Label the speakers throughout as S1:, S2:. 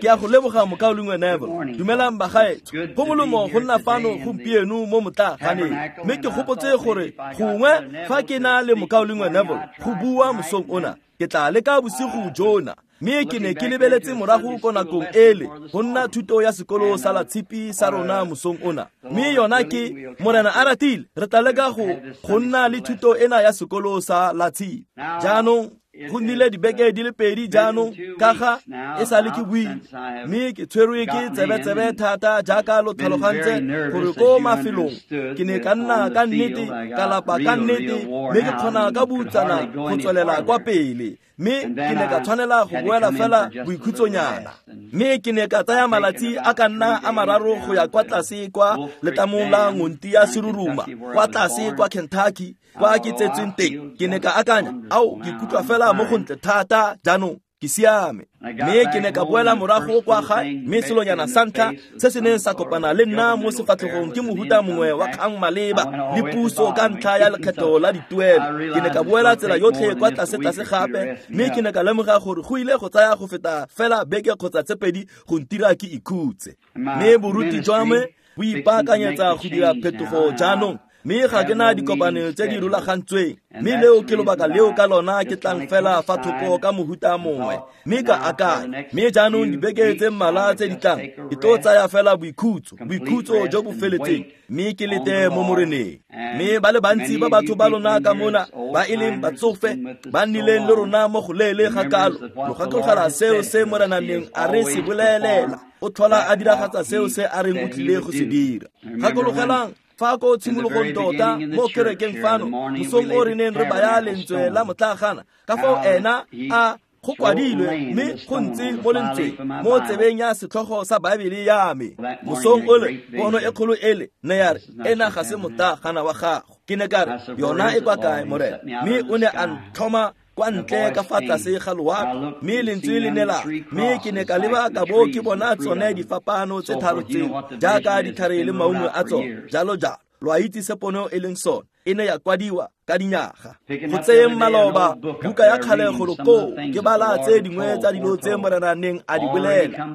S1: Ke a go leboga mokaulengwe Neville. Dumelang bagaetsho. Go molemo go nna fano gompieno mo motlaaganeng. Mme ke gopotse gore gongwe fa ke na le mokaulengwe Neville go bua mosong ona, ke tla leka bosigo jona. Mme ke ne ke lebeletse morago ko nakong ele go nna thuto ya sekolo sa Latshipi sa rona mosong ona. Mme yona ke Morena a ratile re tla leka go nna le thuto ena ya sekolo sa Latshipi. Jaanong go nnile dibeke di le pedi jaanong ka ga e sale ke buile, mme ke tshwerwe ke tsebetsebe thata jaaka lo tlhalogantse gore ko mafelong ke ne ka nna ka nnete ka lapa ka nnete, mme ke kgona ka boutsana go tswelela kwa pele. Mme ke ne ka tshwanela go boela fela boikhutsonyana. Mme ke ne ka tsaya malatsi a ka nna a mararo go ya kwa tlase kwa letamong la Ngonti ya Seruruma, kwa tlase kwa Kentucky, kwa ke tsetsweng teng. Ke ne ka akanya, ao, ke ikutlwa fela mo gontle thata jaanong, ke siame. Mme ke ne ka boela morago kwa gae, mme selonyana sa ntlha se se neng sa kopana le nna mo sefatlhegong ke mohuta mongwe wa kgang maleba le puso ka ntlha ya lekgetho la dituelo. Ke ne ka boela tsela yotlhe kwa tlase-tlase gape, mme ke ne ka lemoga gore go ile go tsaya go feta fela beke kgotsa tse pedi go ntira ke ikhutse. Mme boruti jwa me bo ipaakanyetsa go dira phetogo jaanong, mme ga ke na dikopano tse di rulagantsweng. Mme leo ke lobaka leo ka lona ke tlang fela fa thoko ka mohuta mongwe, mme ka akanya. Mme jaanong dibeke tse mmalwa tse di tlang ke tlo tsaya fela boikhutso, boikhutso jo bo feletseng, mme ke lete mo Moreneng. Mme ba le bantsi ba batho ba lona ka mona ba e leng batsofe ba nnileng le rona mo go leele ga kalo, lo gakologelwa seo se Morena neng a re se bolelela. O tlhola a diragatsa seo se a reng o tlile go se dira. Gakologelang fa ko tshimologong tota mo kerekeng fano mosong o re neng re baya lentswe la motlagana, ka fao ena a go kwadilwe mme go ntse mo lentsweng mo tsebeng ya setlhogo sa Baebele ya me. Mosong ole pono e kgolo ele ne ya re, ena ga se motlagana wa gago. Ke ne ka re, yona e kwa kae, Morena? Mme o ne a ntlhoma kwa ntle ka fa tlase ga loapi, mme lentswe le ne la, mme ke ne ka leba ka bo ke bona tsone difapano tse tharo tseo jaaka ditlhare le maungo a tsone, jalo jalo. Lo a itse se pono e leng sone, e ne ya kwadiwa ka dinyaga. Go tseyeng maloba buka ya kgale golo koo, ke bala tse dingwe tsa dilo tse Morena neng a di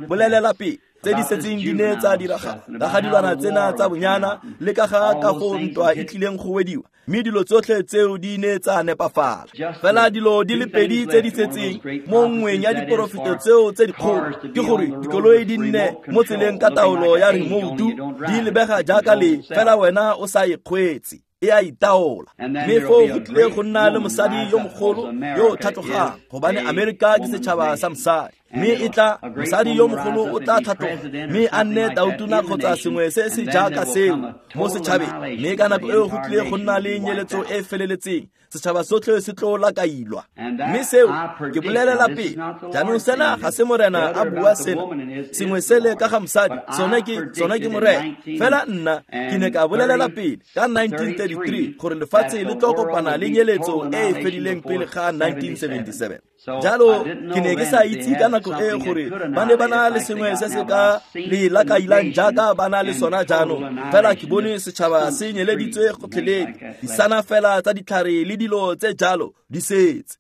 S1: bolelela pele, tse di setseng di ne tsa diragala, ka ga dilwana tsena tsa bonyana le ka ga ka go ntwa e tlileng go wediwa, mme dilo tsotlhe tseo di ne tsa nepafala. Fela dilo di le pedi tse di setseng mo nngweng ya diporofeto tseo tse dikgolo ke gore dikoloi di nne mo tseleng ka taolo ya remote, di lebega jaaka le fela wena o sa e kgweetse, e a itaola. Mme foo go tlile go nna le mosadi yo mogolo yo o tlhatlogang, gobane Amerika ke setšhaba sa mosadi. Mme e tla mosadi yo mogolo o tla tlhatloga mme a nne tautona kgotsa sengwe se se jaaka seo mo setšhabeng. Mme ka nako eo go tlile go nna le nyeletso e feleletseng, setšhaba sotlhe se tlo lakailwa. Mme seo ke bolelela pele. Jaanong sena ga se Morena a bua sena, sengwe sele ka ga mosadi, sone ke Morena. Fela nna ke ne ka bolelela pele ka 1933 gore lefatshe le tlo kopana le nyeletso e e fedileng pele ga 1977. Jalo ke ne ke sa itse ka nako e gore ba ne ba na le sengwe se se ka le lakailang jaaka ba na le sona jaanong. Fela ke bone setšhaba se nyeleditswe gotlhelele, disana fela tsa ditlhare le dilo tse jalo di setse.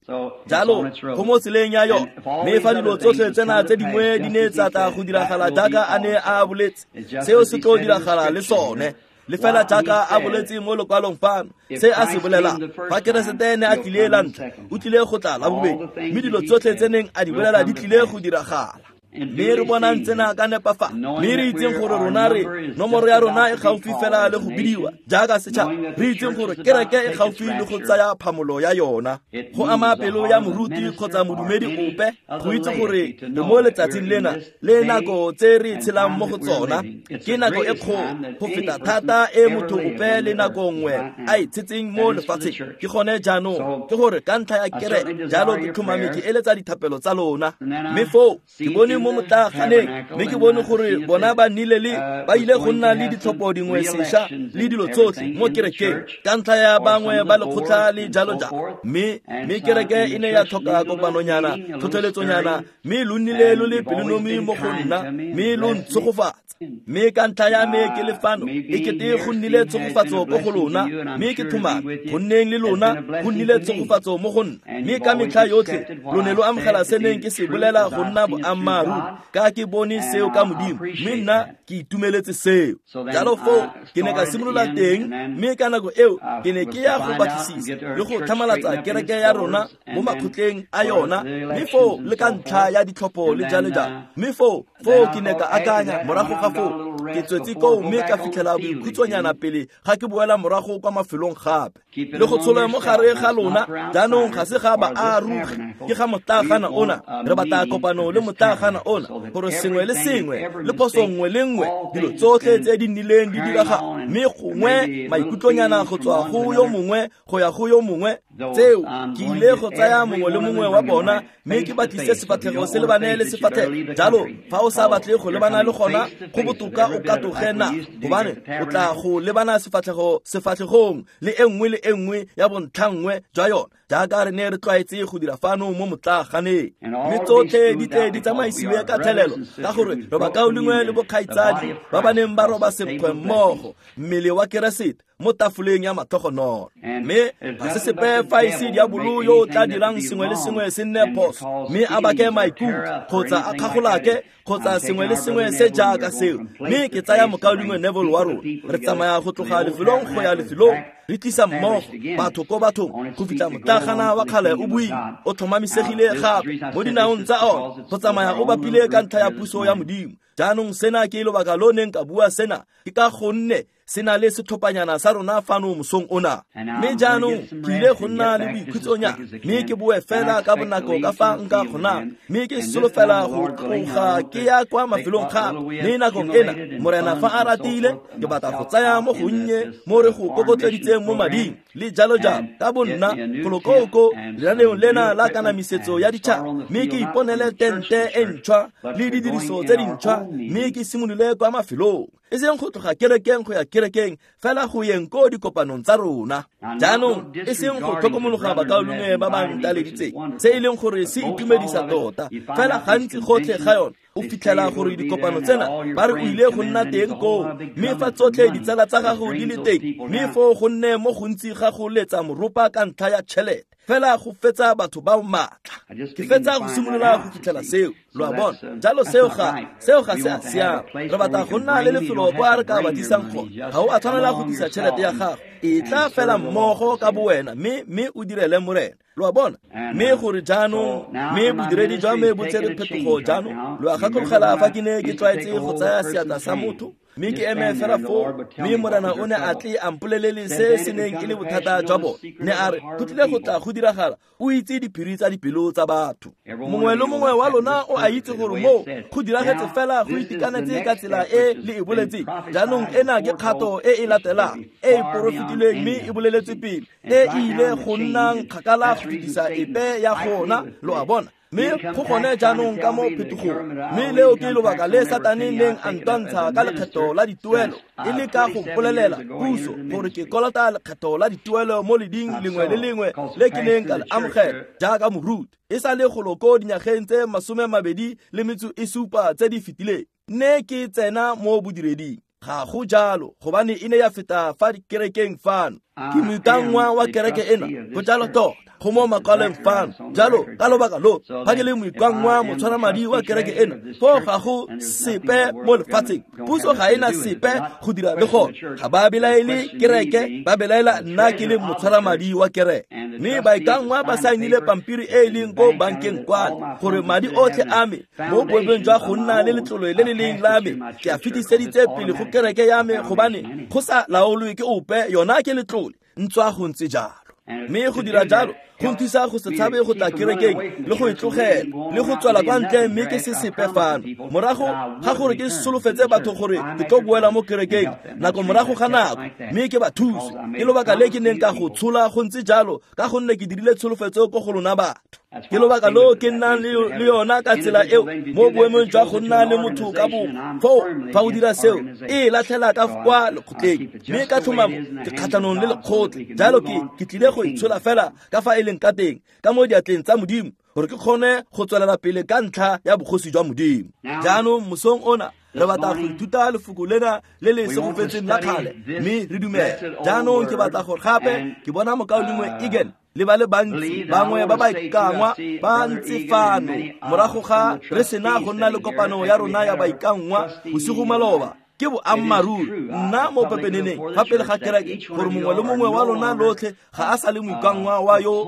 S1: Jalo go mo tseleng ya yone. Mme fa dilo tsotlhe tsena tse dingwe di ne tsa tla go diragala jaaka a ne a boletse, seo se tlo diragala le sone. Le fela jaaka a boletse mo lokwalong fano, se a se bolelang, fa Keresete ne a tlile la ntlha, o tlile go tla la bobedi, mme dilo tsotlhe tse neng a di bolela di tlile go diragala. Mme re bonang tsena ka nepafalo, mme re itseng gore rona re nomoro ya rona e gaufi fela le go bidiwa jaaka setšhaba, re itseng gore kereke e gaufi le go tsaya phamolo ya yona. Go ama pelo ya moruti kgotsa modumedi ope go itse gore re mo letsatsing lena le nako tse re tshelang mo go tsona ke nako e kgolo go feta thata e motho ope le nako nngwe a e tshetseng mo lefatsheng. Ke gone jaanong ke gore ka ntlha ya kereke, jalo ke tlhomame ke eletsa dithapelo tsa lona. Mme foo ke bone mo motlaganeng, mme ke bone gore bona ba nnile le ba ile go nna le ditlhopho dingwe sešwa le dilo tsotlhe mo kerekeng ka ntlha ya bangwe ba lekgotla le jalo jalo. Mme kereke e ne ya tlhoka kopanonyana, tlhotlheletsonyana, mme lo nnile lo le pelonomi mo go nna, mme lo ntshegofatsa. Mme ka ntlha ya me ke le fano, e kete go nnile tshegofatso ko go lona, mme ke tlhomame go nneng le lona go nnile tshegofatso mo go nna. Mme ka metlha yotlhe lo ne lo amogela se neng ke se bolela go nna boammaaruri. boammaaruri ka ke bone seo ka Modimo, mme nna ke itumeletse seo. Jalo foo ke ne ka simolola teng, mme ka nako eo ke ne ke ya go batlisisa le go tlhamalatsa kereke ya rona mo makgotleng a yona, mme foo le ka ntlha ya ditlhopho le jalo jalo. Mme foo ke ne ka akanya morago ga foo ke tswetse koo mme ka fitlhela boikhutsonyana pele ga ke boela morago kwa mafelong gape le go tsholwa mo gare ga lona. Jaanong ga se ga baarugi, ke ga motlagana ona. Re batla kopano le motlagana ona gore sengwe le sengwe le phoso nngwe le nngwe, dilo tsotlhe tse di nnileng di direga, mme gongwe maikutlonyana go tswa go yo mongwe go ya go yo mongwe, tseo ke ile go tsaya mongwe le mongwe wa bona mme ke batlise sefatlhego se lebane le sefatlhego. Jalo fa o sa batle go lebana le gona, go botoka o katoge na, gobane o tla go lebana sefatlhego sefatlhegong le e nngwe le e nngwe ya bontlhanngwe jwa yona, jaaka re ne re tlwaetse go dira fano mo motlaganeng. Mme tsotlhe di tle di tsamaisiwe ka thelelo, ka gore re bakaulengwe le bokgaitsadi ba ba neng ba roba senkgwe mmogo, mmele wa Keresete mo tafoleng ya matlhogonolo. Mme ga se sepe fa e se diabolo yo o tla dirang sengwe le sengwe se nne phoso, mme a bake maikutlo kgotsa a kgagolake kgotsa sengwe le sengwe se jaaka seo. Mme ke tsaya mokaulengwe Neville wa rona, re tsamaya go tloga lefelong go ya lefelong, re tlisa mmogo batho ko bathong go fitlha motlagana wa kgale o buile o tlhomamisegile gape mo dinaong tsa ona, go tsamaya o bapile ka ntlha ya puso ya Modimo. Jaanong sena ke lobaka lo neng ka bua sena, ke ka gonne se na le setlhophanyana sa rona fano mosong ona. Mme jaanong ke ile go nna le boikhutsonyana, mme ke boe fela ka bonako ka fa nka kgonang, mme ke solofela go tloga ke ya kwa mafelong gape. Mme nakong ena, Morena fa a ratile, ke batla go tsaya mo gonnye mo re go kokotleditseng mo mading le jalo jalo ka bonna golokoko lenaneong lena la kanamisetso ya ditšhaba, mme ke iponele tente e ntšhwa le didiriso tse dintšhwa, mme ke simolole kwa mafelong, e seng go tloga kerekeng go ya kerekeng, fela go yeng ko dikopanong tsa rona. Jaanong e seng go tlhokomologa bakaulengwe ba ba ntaleditseng, se e leng gore se itumedisa tota, fela gantsi gotlhe ga yona o fitlhela gore dikopano tsena ba re o ile go nna teng koo, mme fa tsotlhe ditsala tsa gago di le teng, mme foo go nne mo gontsi ga go letsa moropa ka ntlha ya tšhelete, fela go fetsa batho ba maatla. Ke fetsa go simolola go fitlhela seo, lo a bona. Jalo seo ga se a siama. Re batla go nna le lefelo kwa re ka ba tlisang gone. Ga o a tshwanela go tlisa tšhelete ya gago, e tla fela mmogo ka bowena, mme o direle Morena, lo a bona. Mme gore jaanong, mme bodiredi jwa me bo tsere phetogo jaanong. Lo a gakologela fa ke ne ke tlwaetse go tsaya seatla sa motho mme ke eme fela foo, mme Morena o ne a tle a mpolelele se se neng e le bothata jwa bone. Ne a re go tlile go tla go diragala, o itse diphiri tsa dipelo tsa batho. Mongwe le mongwe wa lona o a itse gore moo go diragetse fela go itekanetse ka tsela e le e boletseng. Jaanong ena ke kgato e e latelang e e porofetilweng mme e boleletse pele, e e ile go nnang kgakala go fetisa epe ya gona, lo a bona. Mme go gone jaanong ka mo phetogong, mme leo ke lobaka le Satane neng a ntwantsha ka lekgetho la dituelo, e le ka go mpolelela puso gore ke kolota lekgetho la dituelo mo leding lengwe le lengwe le ke neng ka le amogela jaaka moruti, e sa le golo ko dinyageng tse 27 tse di fetileng ne ke tsena mo bodireding. Ga go jalo, gobane e ne ya feta fa dikerekeng fano. Ke moikanngwa wa kereke ena, go jalo tota, go mo makwalong fano. Jalo ka lobaka lo, fa ke le moikanngwa motshwaramadi wa kereke ena, foo ga go sepe mo lefatsheng. Puso ga ena sepe go dira le gone. Ga ba belaele kereke, ba belaela nna ke le motshwaramadi wa kereke. Mme baikanngwa ba saenile pampiri e e leng ko bankeng kwane, gore madi otlhe a me mo boemong jwa go nna le letlole le le leng la me, ke a fetiseditse pele go kereke ya me, gobane go sa laolwe ke ope, yona ke letlole, ntswa go ntse jalo. Mme go dira jalo go nthusa go se tshabe go tla kerekeng le go e tlogela le go tswela kwa ntle, mme ke se sepe fano. Morago ga gore ke solofetse batho gore ke tlo boela mo kerekeng nako morago ga nako, mme ke ba thuse. Ke lobaka le ke neng ka go tshola go ntse jalo, ka gonne ke dirile tsholofetso ko go lona batho. Ke lobaka lo ke nnang le yona ka tsela eo mo boemong jwa go nna le motho ka bongwe. Foo fa o dira seo, e latlhela ka kwa lekgotleng, mme ka tlhomamo ke kgatlhanong le lekgotla. Jalo ke tlile go itshola fela ka fa e leng ka teng, ka mo diatleng tsa Modimo, gore ke kgone go tswelela pele ka ntlha ya bogosi jwa Modimo. Jaanong mosong ona re batla go ithuta lefoko lena le le segofetseng la kgale, mme re dumele. Jaanong ke batla gore gape ke bona mokaulengwe Egan Le ba le bantsi bangwe ba ba ikangwa ba ntse fano morago ga re sena go nna le kopano ya rona ya baikangwa bosigo maloba. Ke boammaaruri nna mo pepeneneng fa pele ga kereke gore mongwe le mongwe wa lona lotlhe ga a sa le moikangwa wa yo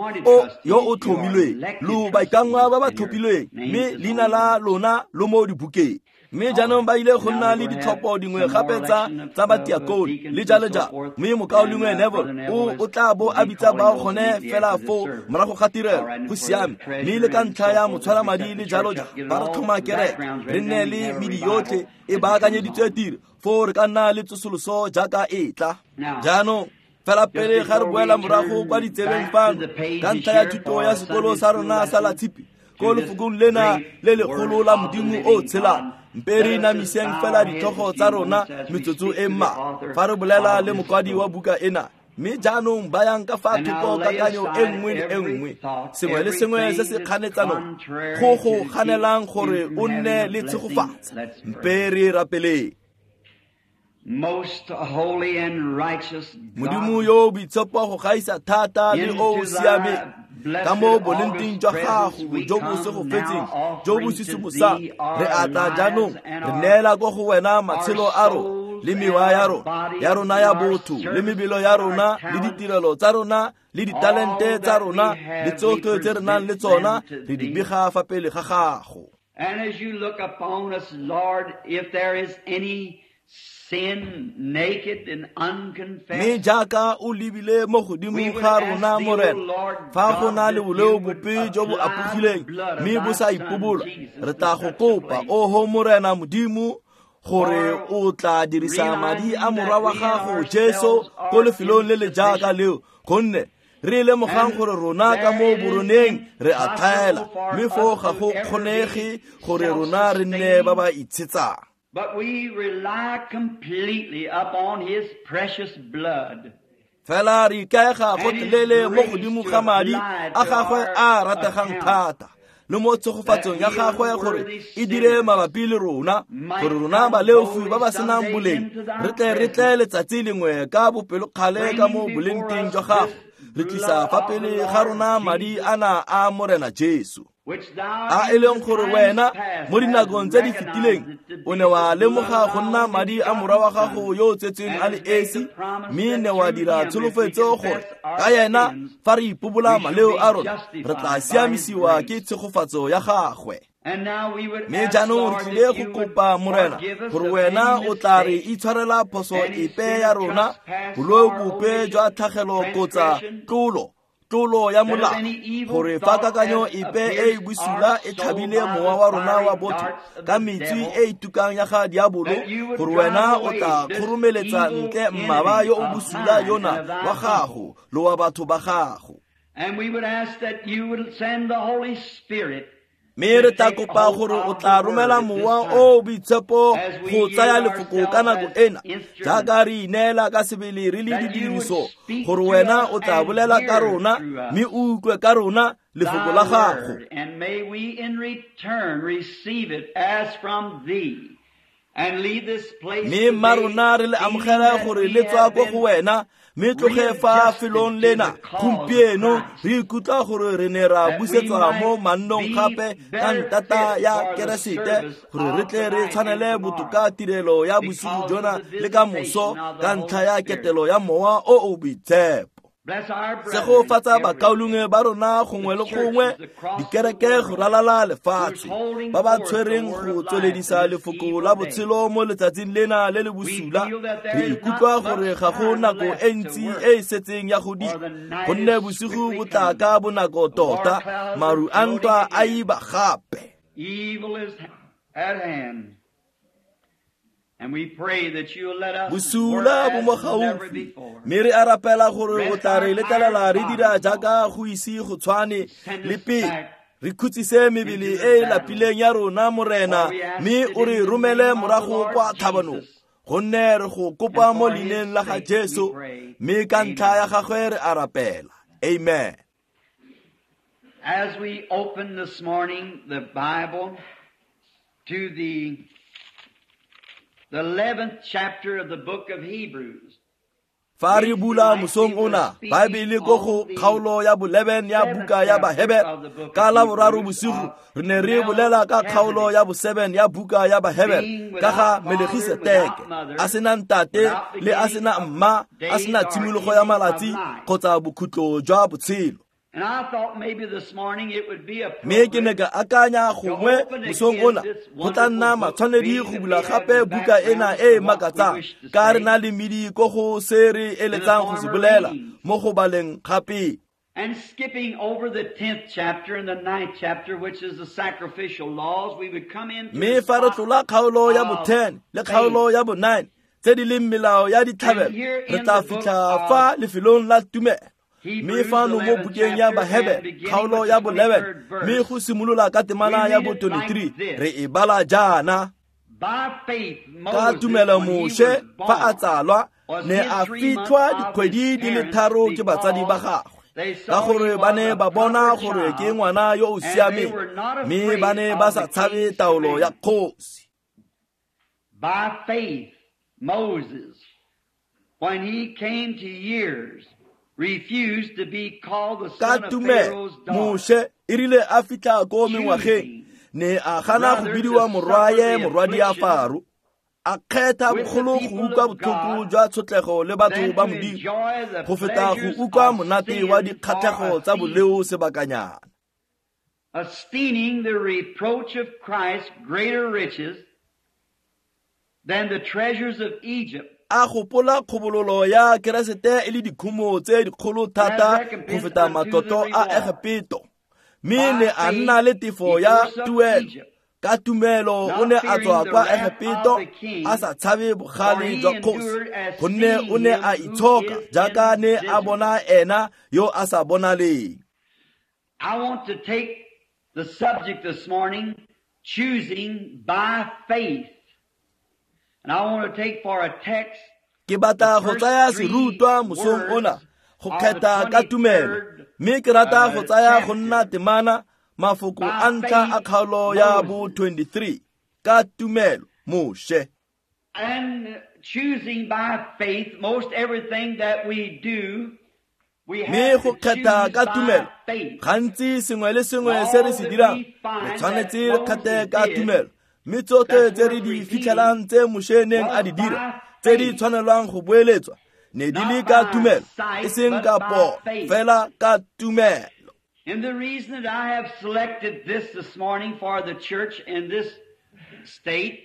S1: o tlhomilweng. Lo baikangwa ba ba tlhophilweng, mme leina la lona lo mo dibukeng. Mme jaanong ba ile go nna le ditlhopho dingwe gape tsa batiakone le jalo jalo. Mme mokaulengwe Neville o tla bo a bitsa bao gone fela foo morago ga tirelo. Go siame. Mme le ka ntlha ya motshwaramadi le jalo jalo, ba re tlhoma kereke, re nne le medi yotlhe e baakanyeditswe tiro, foo re ka nna le tsosoloso jaaka e tla. Jaanong fela pele ga re boela morago kwa ditsebeng fano ka ntlha ya thuto ya sekolo sa rona sa Latshipi ko lefokong lena le legolo la Modimo o tshelang, mpe re inamiseng fela ditlhogo tsa rona metsotso e mmalwa fa re bolela le mokwadi wa buka ena. Mme jaanong bayang ka fa thoko kakanyo e nngwe le e nngwe, sengwe le sengwe se se kganetsanong go go ganelang gore o nne le tshegofatso. Mpe re rapeleng. Modimo yo o boitshepo go gaisa thata le o o siameng, ka mo bolengteng jwa gago jo bo segofetseng jo bo sisimosang, re atla jaanong re neela ko go wena matshelo a rona le mewa ya rona ya botho le mebelo ya rona le ditirelo tsa rona le ditalente tsa rona le tsotlhe tse re nang le tsona, re di bega fa pele ga gago.
S2: And as you look upon us, Lord, if there is any sin naked and unconfessed,
S1: mme jaaka o lebile mo godimo ga rona Morena, fa go na le boleo bope jo bo apogileng mme bo sa ipobola, re tla go kopa, oho Morena Modimo, gore o tla dirisa madi a morwa wa gago Jesu ko lefelong le le jaaka leo, gonne re lemogang gore rona ka mo boroneng re a tlhaela, mme foo ga go kgonege gore rona re nne ba ba itshetsang.
S2: But we rely completely upon his precious blood.
S1: Fela re ikaega gotlhelele mo godimo ga madi a gagwe a rategang thata le mo tshegofatsong ya gagwe gore e dire mabapi le rona, gore rona baleofi ba ba senang boleng re tle letsatsi lengwe ka bopelokgale ka mo bolengteng jwa gago, re tlisa fa pele ga rona madi ana a Morena Jesu, a e leng gore wena mo dinakong tse di fetileng o ne wa lemoga go nna madi a morwa wa gago yo o tsetsweng a le esi, mme ne wa dira tsholofetso gore ka yena fa re ipobola maleo a rona re tla siamisiwa ke tshegofatso ya gagwe. Mme jaanong re tlile go kopa Morena gore wena o tla re itshwarela phoso epe ya rona, boleo bope jwa tlhagelo kgotsa tlolo ya molao, gore fa kakanyo epe e e bosula e tlhabile mowa wa rona wa botho ka metswi e e tukang ya ga diabolo, gore wena o tla kgoromeletsa ntle mmaba yo o bosula yona wa gago le wa batho ba gago.
S2: And we would ask that you would send the Holy Spirit
S1: Mme re tla kopa gore o tla romela mowa o boitshepo go tsaya lefoko ka nako ena, jaaka re ineela ka sebele re le didiriso, gore wena o tla bolela ka rona mme o utlwe ka rona lefoko la gago.
S2: And may we in return receive it as from thee and leave this place
S1: Mme mma rona re le amogela gore le tswa ko go wena, mme tloge fa felong lena gompieno re ikutlwa gore re ne ra busetswa mo mannong gape ka ntata ya Keresete, gore re tle re tshwanele botoka tirelo ya bosigo jona le ka moso ka ntlha ya ketelo ya mowa o o boitshepo. Segofatsa bakaulengwe ba rona gongwe le gongwe, dikereke go ralala lefatshe, ba ba tshwereng go tsweledisa lefoko la botshelo mo letsatsing lena le le bosula. Re ikutlwa gore ga go nako e ntsi e e setseng ya go dira, gonne bosigo bo tla ka bonako tota, maru a ntwa a iba gape.
S2: Evil is at hand. And we pray that you'll let us
S1: Bosula bo mo gaufi, mme re a rapela gore o tla re letlelela re dira jaaka go ise go tshwane le pele, re khutsise mebele e e lapileng ya rona Morena, mme o re romele morago kwa tlhabanong, gonne re go kopa mo leineng la ga Jesu, mme ka ntlha ya gagwe re a rapela. Amen.
S2: As we open this morning the Bible to the 11th chapter of the book of Hebrews.
S1: Fa re bula mosong ona, Baebele ko go kgaolo ya bo-11 ya buka ya Bahebere. Ka la boraro bosigo re ne re bolela ka kgaolo ya bo-7 ya buka ya Bahebere ka ga Melegiseteke, a sena ntate le a sena mma, a sena tshimologo ya malatsi kgotsa bokhutlo jwa botshelo. Mme ke ne ka akanya gongwe mosong ona go tla nna matshwanedi go bula gape buka ena e e makatsang, ka re na le medi ko go se re eletsang go se bolela mo go baleng gape.
S2: And skipping over the 10th chapter and the 9th chapter, which is the sacrificial laws, we would come into
S1: Mme fa re tlola kgaolo ya bo-10 le kgaolo ya bo-9 tse di leng melao ya ditlhabelo, re tla fitlha fa lefelong la tumelo. Mme fano mo bukeng ya Bahebere kgaolo ya bo-11, mme go simolola ka temana ya bo-23, re e bala jaana. Ka tumelo Moshe fa a tsalwa ne a fitlhwa dikgwedi di le 3 ke batsadi ba gagwe, ka gore ba ne ba bona gore ke ngwana yo o siameng, mme ba ne ba sa tshabe taolo ya kgosi.
S2: By faith Moses, when he came to years, refused to be called the son of Pharaoh's daughter.
S1: Moshe e rile a fitlha ko mengwageng, ne a gana go bidiwa morwaye morwadi a Faro, a kgetha bogolo go utlwa botlhoko jwa tshotlego le batho ba Modimo go feta go utlwa monate wa dikgatlhego tsa boleo sebakanyana.
S2: Esteeming the reproach of Christ greater riches than the treasures of Egypt.
S1: A gopola kgobololo ya Keresete e le dikhumo tse dikgolo thata go feta matlotlo a Egepeto, mme ne a nna le tefo ya tuelo. Ka tumelo o ne a tswa kwa Egepeto a sa tshabe bogale jwa kgosi, gonne o ne a itshoka jaaka ne a bona ena yo a sa bonaleng.
S2: I want to take the subject this morning, choosing by faith. And I want to take for a text
S1: Ke batla go tsaya serutwa mosong ona go kgetha ka tumelo, mme ke rata go tsaya go nna temana mafoko a ntlha a kgaolo ya bo-23, ka tumelo Moshe.
S2: And choosing by faith, most everything that we do, we
S1: Mme
S2: have
S1: go
S2: to
S1: kgetha
S2: choose
S1: ka
S2: by
S1: tumelo,
S2: faith.
S1: gantsi sengwe le sengwe se re se dirang, re tshwanetse re kgethe ka tumelo. Mme tsotlhe tse re di fitlhelang tse Moshe neng a di dira, tse di tshwanelwang go boeletswa, ne di le ka tumelo, e seng ka pono, fela ka tumelo.
S2: And the reason that I have selected this morning for the church in this state,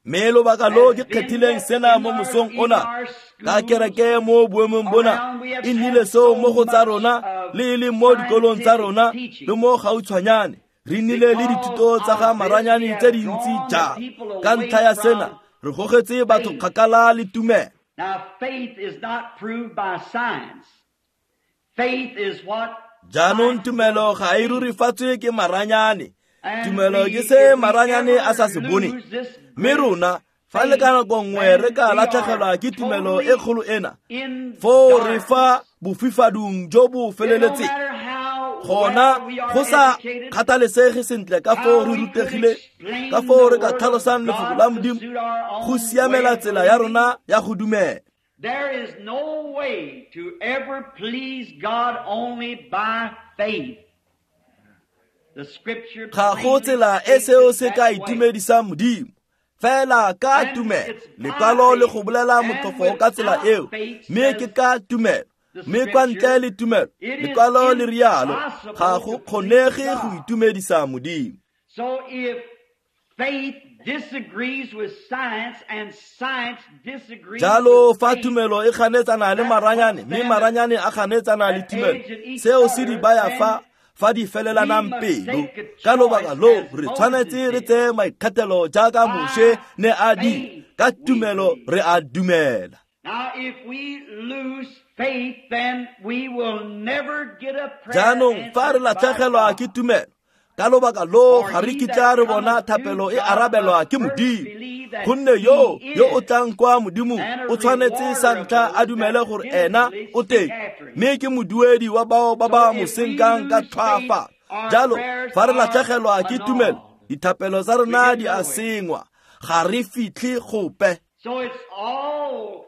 S1: Mme lobaka lo ke kgethileng sena mo mosong ona ka kereke mo boemong bona, e nnile seo mo go tsa rona le e leng mo dikolong tsa rona le mo gautshwanyane. Re nnile le dithuto tsa ga maranyane tse dintsi jang. Ka ntlha ya sena re gogetse batho kgakala le tumelo.
S2: Now faith is not proved by science. Faith is what
S1: Jaanong tumelo ga e rurifatswe ke maranyane. Tumelo ke se maranyane a sa se bone. Mme rona fa le ka nako nngwe re ka latlhegelwa ke tumelo e kgolo ena, foo re fa bofifadung jo bo feleletseng. Gona go sa kgathalesege sentle ka foo re rutegile, ka foo re ka tlhalosang lefoko la Modimo go siamela tsela ya rona ya go dumela.
S2: There is no way to ever please God only by faith. The scripture
S1: Ga go tsela e seo se ka itumedisang Modimo, fela ka tumelo. Lekwalo le go bolela motlhofo ka tsela eo, mme ke ka tumelo. Mme kwa ntle le tumelo, lekwalo le rialo, ga go kgonege go itumedisa Modimo.
S2: So if faith disagrees with science and science disagrees
S1: Jalo
S2: with
S1: fa
S2: faith,
S1: tumelo e ganetsana le maranyane, mme maranyane a ganetsana le tumelo, seo se di baya fa di felelanang pelo. Ka lobaka lo re tshwanetse re tseye maikgethelo jaaka Moshe ne a di, ka tumelo re a dumela.
S2: Now if we lose faith, then we will never get a prayer
S1: Jaanong fa re
S2: answered by
S1: latlhegelwa
S2: God.
S1: ke tumelo, ka lobaka lo ga re kitla re bona thapelo e arabelwa ke Modimo, gonne yo o tlang kwa Modimong o tshwanetse sa ntlha a dumele gore ena o teng, mme ke moduedi wa bao ba ba mo senkang ka tlhwaafalo. Jalo fa re latlhegelwa ke tumelo, dithapelo tsa rona di a sengwa, ga re fitlhe gope.
S2: So it's all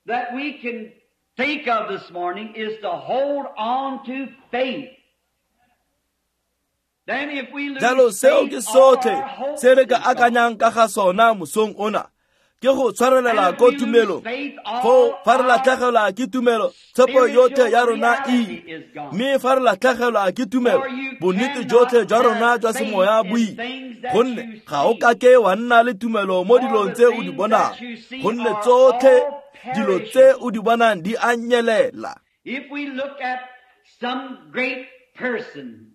S2: that we can think of this morning is to hold on to faith. Then if we lose
S1: Jalo seo
S2: faith,
S1: ke
S2: all
S1: sotlhe
S2: our hope
S1: se re ka
S2: is gone.
S1: akanyang ka ga sona mosong ona ke go tshwarelela
S2: And
S1: ko
S2: if we lose
S1: tumelong.
S2: faith, all
S1: Foo fa re
S2: our
S1: latlhegelwa ke tumelo, tshepo yotlhe ya rona e
S2: spiritual
S1: ile.
S2: reality is gone.
S1: Mme fa re latlhegelwa ke tumelo,
S2: For you
S1: bonnete
S2: cannot
S1: jotlhe jwa rona
S2: have
S1: jwa
S2: faith
S1: semoya
S2: in
S1: bo ile.
S2: things that
S1: Gonne
S2: you
S1: ga o
S2: see.
S1: ka ke wa nna le tumelo mo
S2: For
S1: dilong
S2: the
S1: tse o di
S2: things
S1: bonang,
S2: that you see
S1: gonne
S2: are
S1: tsotlhe
S2: all
S1: dilo tse
S2: perishable.
S1: o di bonang di a nyelela.
S2: If we look at some great person,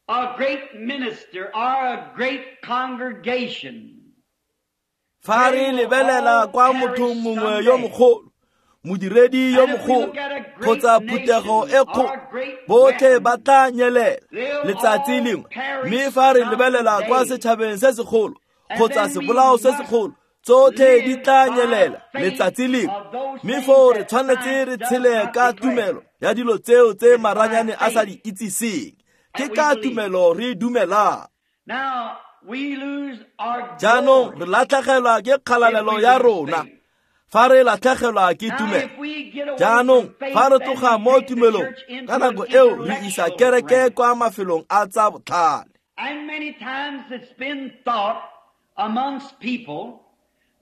S2: a great minister, or a great congregation,
S1: Fa re lebelela kwa mothong mongwe yo mogolo, modiredi yo mogolo, kgotsa phuthego e kgolo, botlhe ba tla nyelela letsatsi lengwe. Mme fa re lebelela kwa setšhabeng se segolo kgotsa sebolao se segolo, tsotlhe di tla nyelela letsatsi lengwe. Mme foo re tshwanetse re tshele ka tumelo ya dilo tseo tse maranyane a sa di itsiseng. Ke ka tumelo re dumelang.
S2: Now we lose our
S1: Jaanong
S2: glory
S1: re latlhegelwa ke
S2: if
S1: kgalalelo
S2: we
S1: ya
S2: lose
S1: rona
S2: faith.
S1: fa re latlhegelwa ke
S2: Now
S1: tumelo.
S2: if we get away
S1: Jaanong
S2: from faith,
S1: fa re
S2: then
S1: tloga
S2: we
S1: mo
S2: take the
S1: tumelong,
S2: church into
S1: ka
S2: an
S1: nako eo re isa
S2: intellectual
S1: kereke
S2: realm.
S1: kwa mafelong a tsa botlhale.
S2: And many times it's been thought amongst people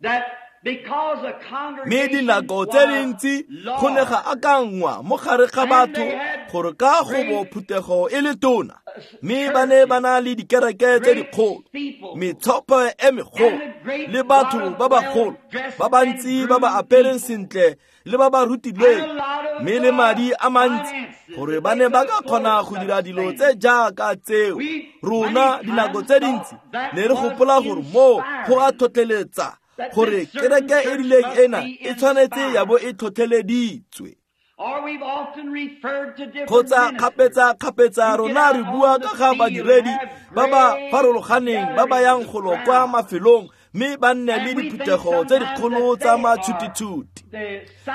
S2: that because a
S1: Mme
S2: congregation
S1: dinako tse
S2: was
S1: dintsi go ne ga
S2: large
S1: akanngwa mo gare ga
S2: and
S1: batho
S2: they had
S1: gore ka go bo
S2: great
S1: phuthego e le tona, mme ba ne ba
S2: churches,
S1: na le dikereke tse
S2: great
S1: dikgolo,
S2: steeples,
S1: metshopo e megolo
S2: and a great
S1: le
S2: lot
S1: batho
S2: of
S1: ba bagolo
S2: well-dressed
S1: ba
S2: and
S1: bantsi ba ba
S2: groomed
S1: apereng
S2: people,
S1: sentle le ba ba
S2: and
S1: rutilweng,
S2: a lot of
S1: mme le madi a mantsi
S2: finances
S1: gore
S2: that
S1: ba
S2: they
S1: ne ba
S2: could
S1: ka kgona
S2: afford
S1: go
S2: such
S1: dira dilo
S2: things.
S1: tse jaaka tseo.
S2: We
S1: Rona
S2: many
S1: dinako
S2: times
S1: tse
S2: thought
S1: dintsi
S2: that
S1: ne re
S2: was
S1: gopola gore moo go a
S2: inspiring,
S1: tlhotlheletsa
S2: that
S1: gore
S2: this certain
S1: kereke e
S2: church
S1: rileng
S2: must
S1: ena
S2: be
S1: e tshwanetse ya bo
S2: inspired.
S1: e tlhotlheleditswe.
S2: Or we've often referred to different
S1: Kgotsa
S2: ministers
S1: kgapetsa-kgapetsa
S2: who get
S1: rona
S2: out
S1: re bua
S2: on the
S1: ka ga
S2: field and
S1: badiredi
S2: have
S1: ba ba
S2: great
S1: farologaneng ba ba
S2: gatherings
S1: yang
S2: of
S1: golo kwa
S2: crowds.
S1: mafelong mme ba nne le
S2: And we think
S1: diphuthego tse
S2: sometimes
S1: dikgolo
S2: that
S1: tsa
S2: they are
S1: matšhutitšhuti.
S2: the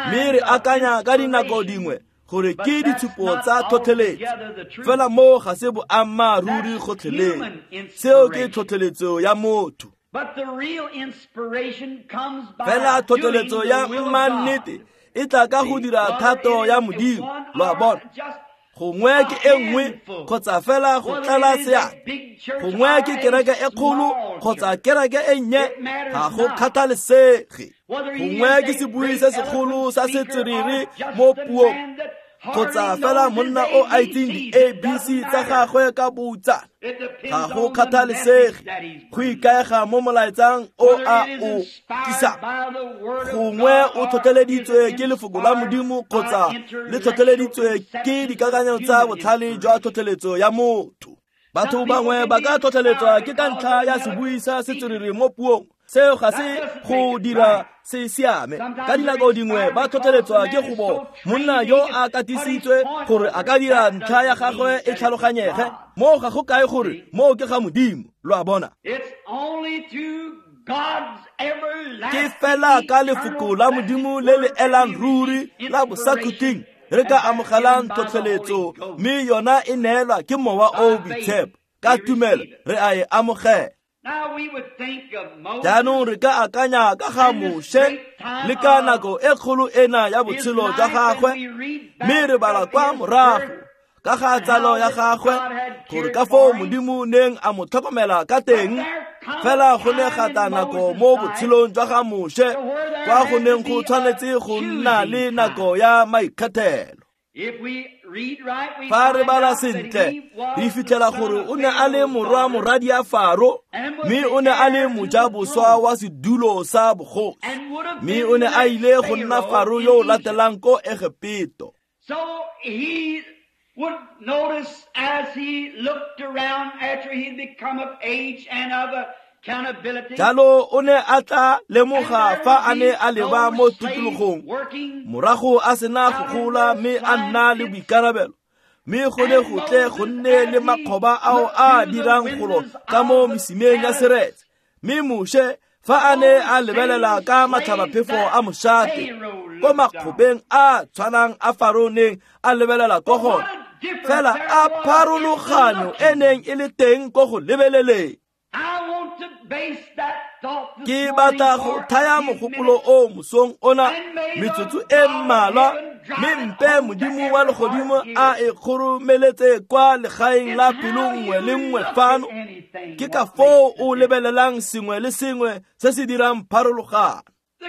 S1: Mme re
S2: signs of
S1: akanya ka dinako
S2: inspiration.
S1: dingwe gore
S2: But
S1: ke
S2: that's
S1: ditshupo
S2: not
S1: tsa tlhotlheletso,
S2: altogether the truth.
S1: fela moo ga se boammaaruri
S2: That's
S1: gotlhelele.
S2: human
S1: Seo ke
S2: inspiration.
S1: tlhotlheletso ya motho.
S2: But the real inspiration comes
S1: Fela
S2: by doing
S1: tlhotlheletso
S2: the
S1: ya
S2: will of
S1: mannete
S2: God.
S1: e tla ka go
S2: See,
S1: dira
S2: whether
S1: thato
S2: it
S1: ya
S2: is
S1: Modimo.
S2: one
S1: Lo a
S2: or
S1: bona,
S2: just
S1: gongwe
S2: a
S1: ke e nngwe
S2: handful,
S1: kgotsa fela go
S2: whether
S1: tlala
S2: it is a
S1: seatla,
S2: big church
S1: gongwe
S2: or
S1: ke
S2: a
S1: kereke e kgolo
S2: small
S1: kgotsa
S2: church,
S1: kereke e nnye,
S2: it matters
S1: ga go
S2: not.
S1: kgathalesege.
S2: Whether he
S1: Gongwe
S2: is
S1: ke
S2: a
S1: sebui
S2: great
S1: se segolo
S2: eloquent
S1: sa
S2: speaker or
S1: setswerere
S2: just
S1: mo
S2: the
S1: puong,
S2: man that
S1: kgotsa
S2: hardly
S1: fela
S2: knows his
S1: monna o a itseng
S2: ABCs, it
S1: di-ABC
S2: doesn't
S1: tsa
S2: matter.
S1: gagwe ka boutsana,
S2: It
S1: ga
S2: depends
S1: go
S2: on the message
S1: kgathalesege.
S2: that he's
S1: Go
S2: bringing.
S1: ikaega mo molaetsang o
S2: Whether
S1: a
S2: it is
S1: o
S2: inspired
S1: tlisang.
S2: by the Word of
S1: Gongwe
S2: God
S1: o
S2: or is
S1: tlhotlheleditswe ke lefoko la
S2: inspired
S1: Modimo
S2: by
S1: kgotsa le
S2: intellectual
S1: tlhotlheleditswe ke
S2: conceptions of
S1: dikakanyo tsa
S2: human
S1: botlhale jwa
S2: inspiration.
S1: tlhotlheletso ya motho. Batho
S2: Some people
S1: bangwe
S2: can
S1: ba
S2: be
S1: ka tlhotlheletswa
S2: inspired
S1: ke ka
S2: because
S1: ntlha
S2: of
S1: ya
S2: an
S1: sebui
S2: eloquent
S1: sa
S2: speaker.
S1: setswerere mo puong. Seo ga
S2: That
S1: se
S2: doesn't
S1: go
S2: make it
S1: dira
S2: right.
S1: se siame. Ka
S2: Sometimes they're
S1: dinako dingwe
S2: inspired
S1: ba
S2: because the
S1: tlhotlheletswa ke
S2: man
S1: go
S2: is
S1: bo
S2: so
S1: monna
S2: trained
S1: yo
S2: he
S1: a
S2: can put his
S1: katisitswe
S2: point
S1: gore a
S2: over.
S1: ka dira
S2: That
S1: ntlha ya
S2: doesn't
S1: gagwe
S2: mean
S1: e
S2: that it's of
S1: tlhaloganyege.
S2: God.
S1: Moo ga go kae gore
S2: See?
S1: moo ke ga Modimo. Lo a bona?
S2: It's only through God's
S1: Ke
S2: everlasting,
S1: fela ka lefoko
S2: eternal,
S1: la
S2: blessed
S1: Modimo le le
S2: word that
S1: elang
S2: we
S1: ruri
S2: receive
S1: la
S2: inspiration,
S1: bosakhutleng re
S2: and
S1: ka
S2: that's given
S1: amogelang
S2: by the Holy
S1: tlhotlheletso,
S2: Ghost.
S1: mme yona e neelwa ke Mowa o o
S2: By faith,
S1: Boitshepo. Ka
S2: we
S1: tumelo
S2: receive it.
S1: re a e amogela.
S2: Now we would think of Moses
S1: Jaanong re ka akanya ka ga
S2: and this
S1: Moshe
S2: great time
S1: le ka
S2: of
S1: nako e kgolo ena ya
S2: his
S1: botshelo jwa
S2: life, and
S1: gagwe,
S2: we read
S1: mme
S2: back
S1: re bala
S2: of
S1: kwa
S2: his
S1: morago
S2: birth
S1: ka ga
S2: and
S1: tsalo
S2: how
S1: ya
S2: that
S1: gagwe
S2: God had
S1: gore
S2: cared
S1: ka foo
S2: for him.
S1: Modimo neng a mo tlhokomela ka
S2: But
S1: teng.
S2: there come a
S1: Fela go ne ga
S2: time
S1: tla
S2: in
S1: nako
S2: Moses'
S1: mo
S2: life
S1: botshelong jwa ga Moshe
S2: to where there
S1: kwa go
S2: had to
S1: neng go
S2: be a
S1: tshwanetse go nna le
S2: choosing
S1: nako
S2: time.
S1: ya maikgethelo.
S2: If we read right, we
S1: Fa re
S2: find
S1: bala
S2: out that
S1: sentle,
S2: he
S1: re
S2: was the
S1: fitlhela
S2: son
S1: gore
S2: of
S1: o ne a le
S2: Pharaoh's
S1: morwa
S2: daughter
S1: moradi ya Faro,
S2: and was
S1: mme
S2: the
S1: o ne a le
S2: heir to the
S1: mojaboswa
S2: throne
S1: wa sedulo sa bogosi,
S2: and would have
S1: mme
S2: been
S1: o
S2: the
S1: ne a
S2: next
S1: ile go nna
S2: Pharaoh
S1: Faro
S2: in
S1: yo o
S2: Egypt.
S1: latelang ko Egepeto.
S2: So he would notice as he looked around after he'd become of age and of accountability,
S1: Jalo o ne a tla
S2: and
S1: lemoga
S2: there
S1: fa
S2: would
S1: a ne
S2: be
S1: a leba mo
S2: those slaves
S1: tikologong
S2: working
S1: morago a sena go
S2: out in
S1: gola
S2: the
S1: mme a
S2: swine
S1: nna le
S2: pits.
S1: boikarabelo, mme go ne
S2: And
S1: go tle go
S2: Moses,
S1: nne le
S2: as he
S1: makgoba ao
S2: looked
S1: a
S2: through the
S1: dirang golo
S2: windows
S1: ka mo
S2: of the
S1: mesimeng ya
S2: palace,
S1: seretse. Mme Moshe fa a ne
S2: those
S1: a lebelela
S2: same
S1: ka
S2: slaves
S1: matlhabaphefo
S2: that
S1: a mošate
S2: Pharaoh
S1: ko
S2: looked on.
S1: makgobeng a tshwanang a Faro neng a lebelela ko
S2: But
S1: gona,
S2: what a difference
S1: fela
S2: there
S1: a
S2: was in the
S1: pharologano e
S2: looking.
S1: neng e le teng ko go lebeleleng.
S2: I want to
S1: Ke batla go thaya mogopolo o mosong ona metsotso e mmalwa, mme mpe Modimo wa legodimo a e kgoromeletse kwa legaeng la pelo nngwe le nngwe fano. Ke ka foo o lebelelang sengwe le sengwe se se dirang pharologano.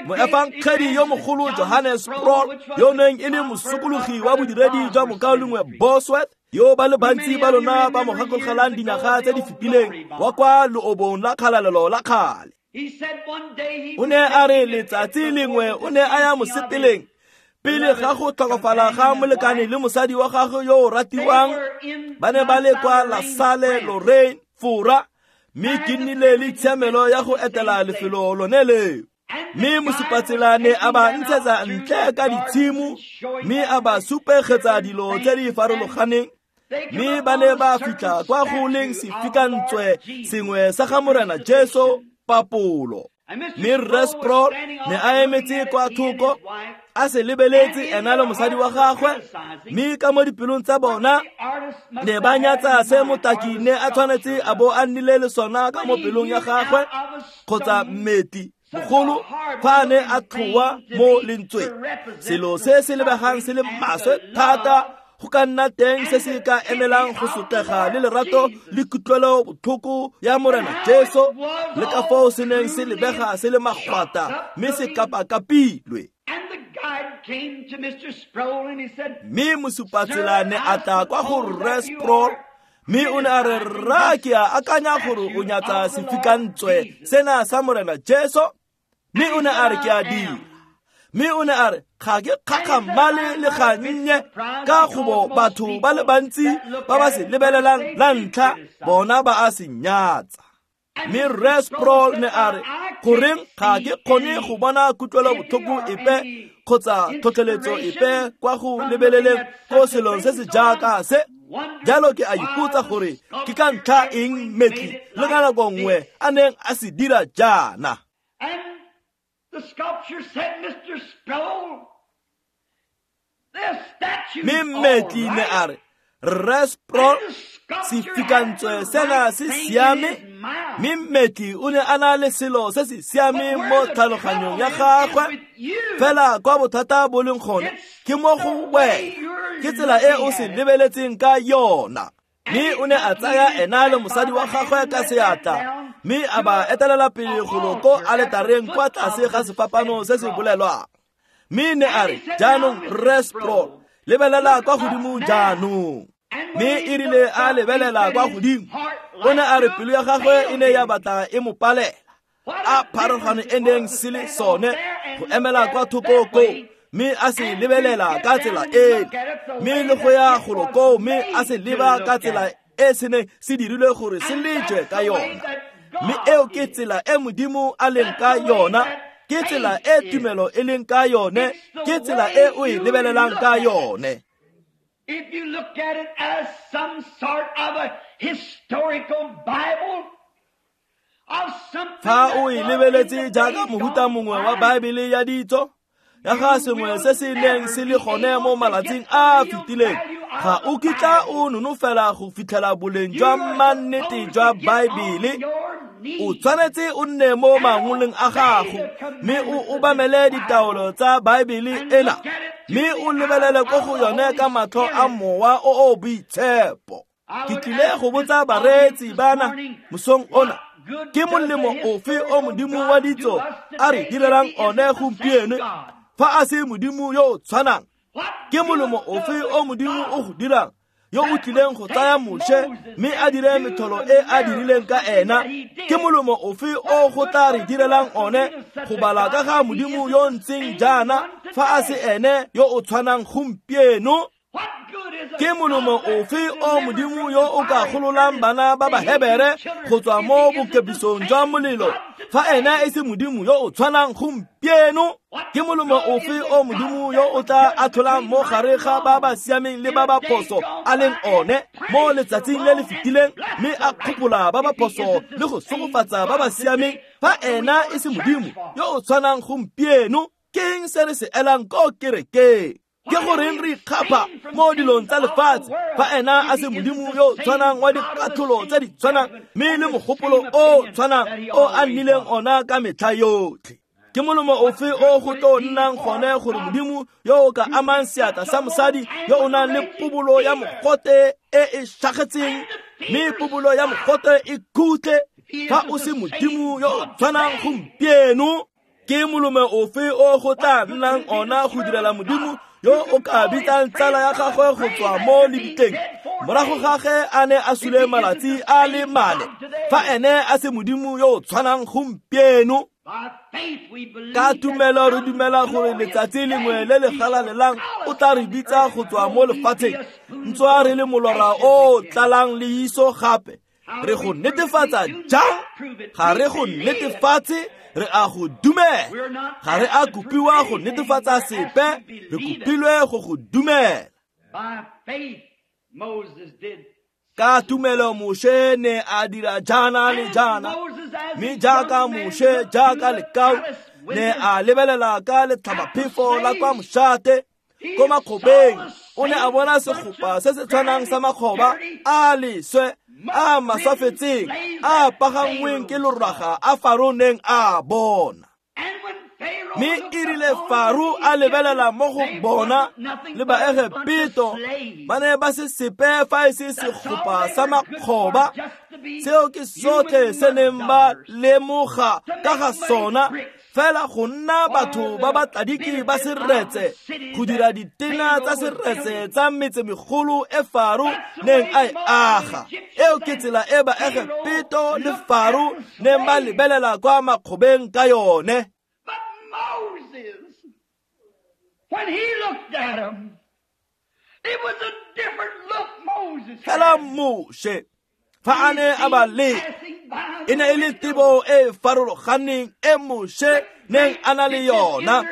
S1: Moefangedi yo mogolo Johannes Sproul, yo neng e le mosokologi wa bodiredi jwa mokaulengwe Bosworth, yo ba le bantsi ba lona ba mo gakologelang dinyaga tse di fetileng, wa kwa leobong la kgalalelo la kgale. O ne a re letsatsi lengwe o ne a ya mosepeleng pele ga go tlhokofala ga molekane le mosadi wa gagwe yo o ratiwang. Ba ne ba le kwa La Salle Lorraine, Fora, mme ke nnile le tshiamelo ya go etela lefelo lone leo. Mme mosupatsela ne a ba ntshetsa ntle ka ditshimo, mme a ba supegetsa dilo tse di farologaneng, mme ba ne ba fitlha kwa go leng sefikantswe sengwe sa ga Morena Jesu papolo. Mme Rre Sproul ne a emetse kwa thoko a se lebeletse ena le mosadi wa gagwe, mme ka mo dipelong tsa bona ne ba nyatsa se motaki ne a tshwanetse a bo a nnile le sona ka mo pelong ya gagwe kgotsa mmetli mogolo fa a ne a tlhoa mo lentsweng. Selo se se lebegang se le maswe thata go ka nna teng se se ka emelang go sotlega le lerato le kutlwelo botlhoko ya Morena Jesu, le ka foo se neng se lebega se le magwata mme se kapakapilwe. Mme mosupatsela ne a tla kwa go Rre Sproul, mme o ne a re, rra, ke a akanya gore o nyatsa sefikantswe sena sa Morena Jesu. Mme o ne a re, ke a dira. Mme o ne a re, ga ke kgakgamale le gannye, ka gobo batho ba le bantsi ba ba se lebelelang la ntlha bona ba a se nyatsa. Mme Rre Sproul ne a re, goreng ga ke kgone go bona kutlwelo botlhoko epe kgotsa tlhotlheletso epe kwa go lebeleleng ko selong se se jaaka se? Jalo ke a ipotsa gore ke ka ntlha eng mmetli le ka nako nngwe a neng a se dira jaana. Mme mmetli ne a re, Rre Sproul, sefikantswe sena se siame. Mme mmetli o ne a na le selo se se siameng mo tlhaloganyong ya gagwe, fela kwa bothata bo leng gone ke mo go wena, ke tsela e o se lebeletseng ka yona. Mme o ne a tsaya ena le mosadi wa gagwe ka seatla, mme a ba etelela pele golo ko aletareng kwa tlase ga sefapano se se bolelwang. Mme ne a re, jaanong Rre Sproul, lebelela kwa godimo jaanong. Mme e rile a lebelela kwa godimo, o ne a re pelo ya gagwe e ne ya batla e mo palela, a pharologano e neng se le sone go emela kwa thoko koo, mme a se lebelela ka tsela eno, mme le go ya golo koo, mme a se leba ka tsela e se neng se dirilwe gore se lejwe ka yona. Mme eo ke tsela e Modimo a leng ka yona, ke tsela e tumelo e leng ka yone, ke tsela e o e lebelelang ka yone.
S2: If you look at it as some sort of a historical Bible,
S1: fa o e lebeletse jaaka mohuta mongwe wa Baebele ya ditso, ya ga sengwe se se neng se le gone mo malatsing a a fetileng, ga o kitla o nonofela go fitlhela boleng jwa mannete jwa Baebele. O tshwanetse o nne mo mangoleng a gago, mme o obamele ditaolo tsa Baebele ena, mme o lebelele ko go yone ka matlho a mowa o o boitshepo. Ke tlile go botsa bareetsi bana mosong ona, ke molemo ofe o Modimo wa ditso a re direlang one gompieno fa a se Modimo yo o tshwanang? Ke molemo ofe o Modimo o go dirang yo o tlileng go tsaya Moshe mme a dire metholo e a dirileng ka ena? Ke molemo ofe o go tla re direlang one go bala ka ga Modimo yo ntseng jaana fa a se ene yo o tshwanang gompieno? Ke molemo ofe o Modimo yo o ka gololang bana ba Bahebere go tswa mo bokebisong jwa molelo fa ena e se Modimo yo o tshwanang gompieno? Ke molemo ofe o Modimo yo o tla atlholang mo gare ga ba ba siameng le ba ba phoso a leng one mo letsatsing le le fetileng, mme a kgopola ba ba phoso le go sogofatsa ba ba siameng fa ena e se Modimo yo o tshwanang gompieno? Ke eng se re se elang ko kerekeng? Ke goreng re ikgapha mo dilong tsa lefatshe fa ena a se Modimo yo tshwanang wa dikatlholo tse di tshwanang mme le mogopolo o tshwanang o a nnileng ona ka metlha yotlhe? Ke molomo ofe o go tlo nnang gone gore Modimo yo o ka amang seatla sa mosadi yo o nang le pobolo ya mogote e e šagetseng, mme pobolo ya mogote e khutle, fa o se Modimo yo o tshwanang gompieno? Ke molome ofe o go tla nnang ona go direla Modimo yo o ka bitsang tsala ya gagwe go tswa mo lebitleng morago ga ge a ne a sule malatsi a le 4, fa ene a se Modimo yo o tshwanang gompieno? Ka tumelo re dumela gore letsatsi lengwe le le galalelang o tla re bitsa go tswa mo lefatsheng, ntswa re le molora o tlalang leiso gape. Re go netefatsa jang? Ga re go netefatse, re a go dumela. Ga re a kopiwa go netefatsa sepe, re kopilwe go go dumela. Ka tumelo Moshe ne a dira jaana le jaana, mme jaaka Moshe jaaka lekau ne a lebelela ka letlhabaphefo la kwa mošate ko makgobeng, o ne a bona segopa se se tshwanang sa makgoba a leswe a maswafetseng a pagangweng ke loraga a Faro neng a bona. Mme e rile Faro a lebelela mo go bona le Baegepeto, ba ne ba se sepe fa e se segopa sa makgoba. Seo ke sotlhe se neng ba lemoga ka ga sona, fela go nna batho ba ba tladiki ba seretse, go dira ditena tsa seretse tsa metsemegolo e Faro neng a e aga. Eo ke tsela e Baegepeto le Faro neng ba lebelela kwa makgobeng ka yone.
S2: But Moses, when he looked at him, it was a different look Moses had.
S1: Fela Moshe, fa a ne a ba le, e ne e le tebo e farologaneng e Moshe neng a na le yona.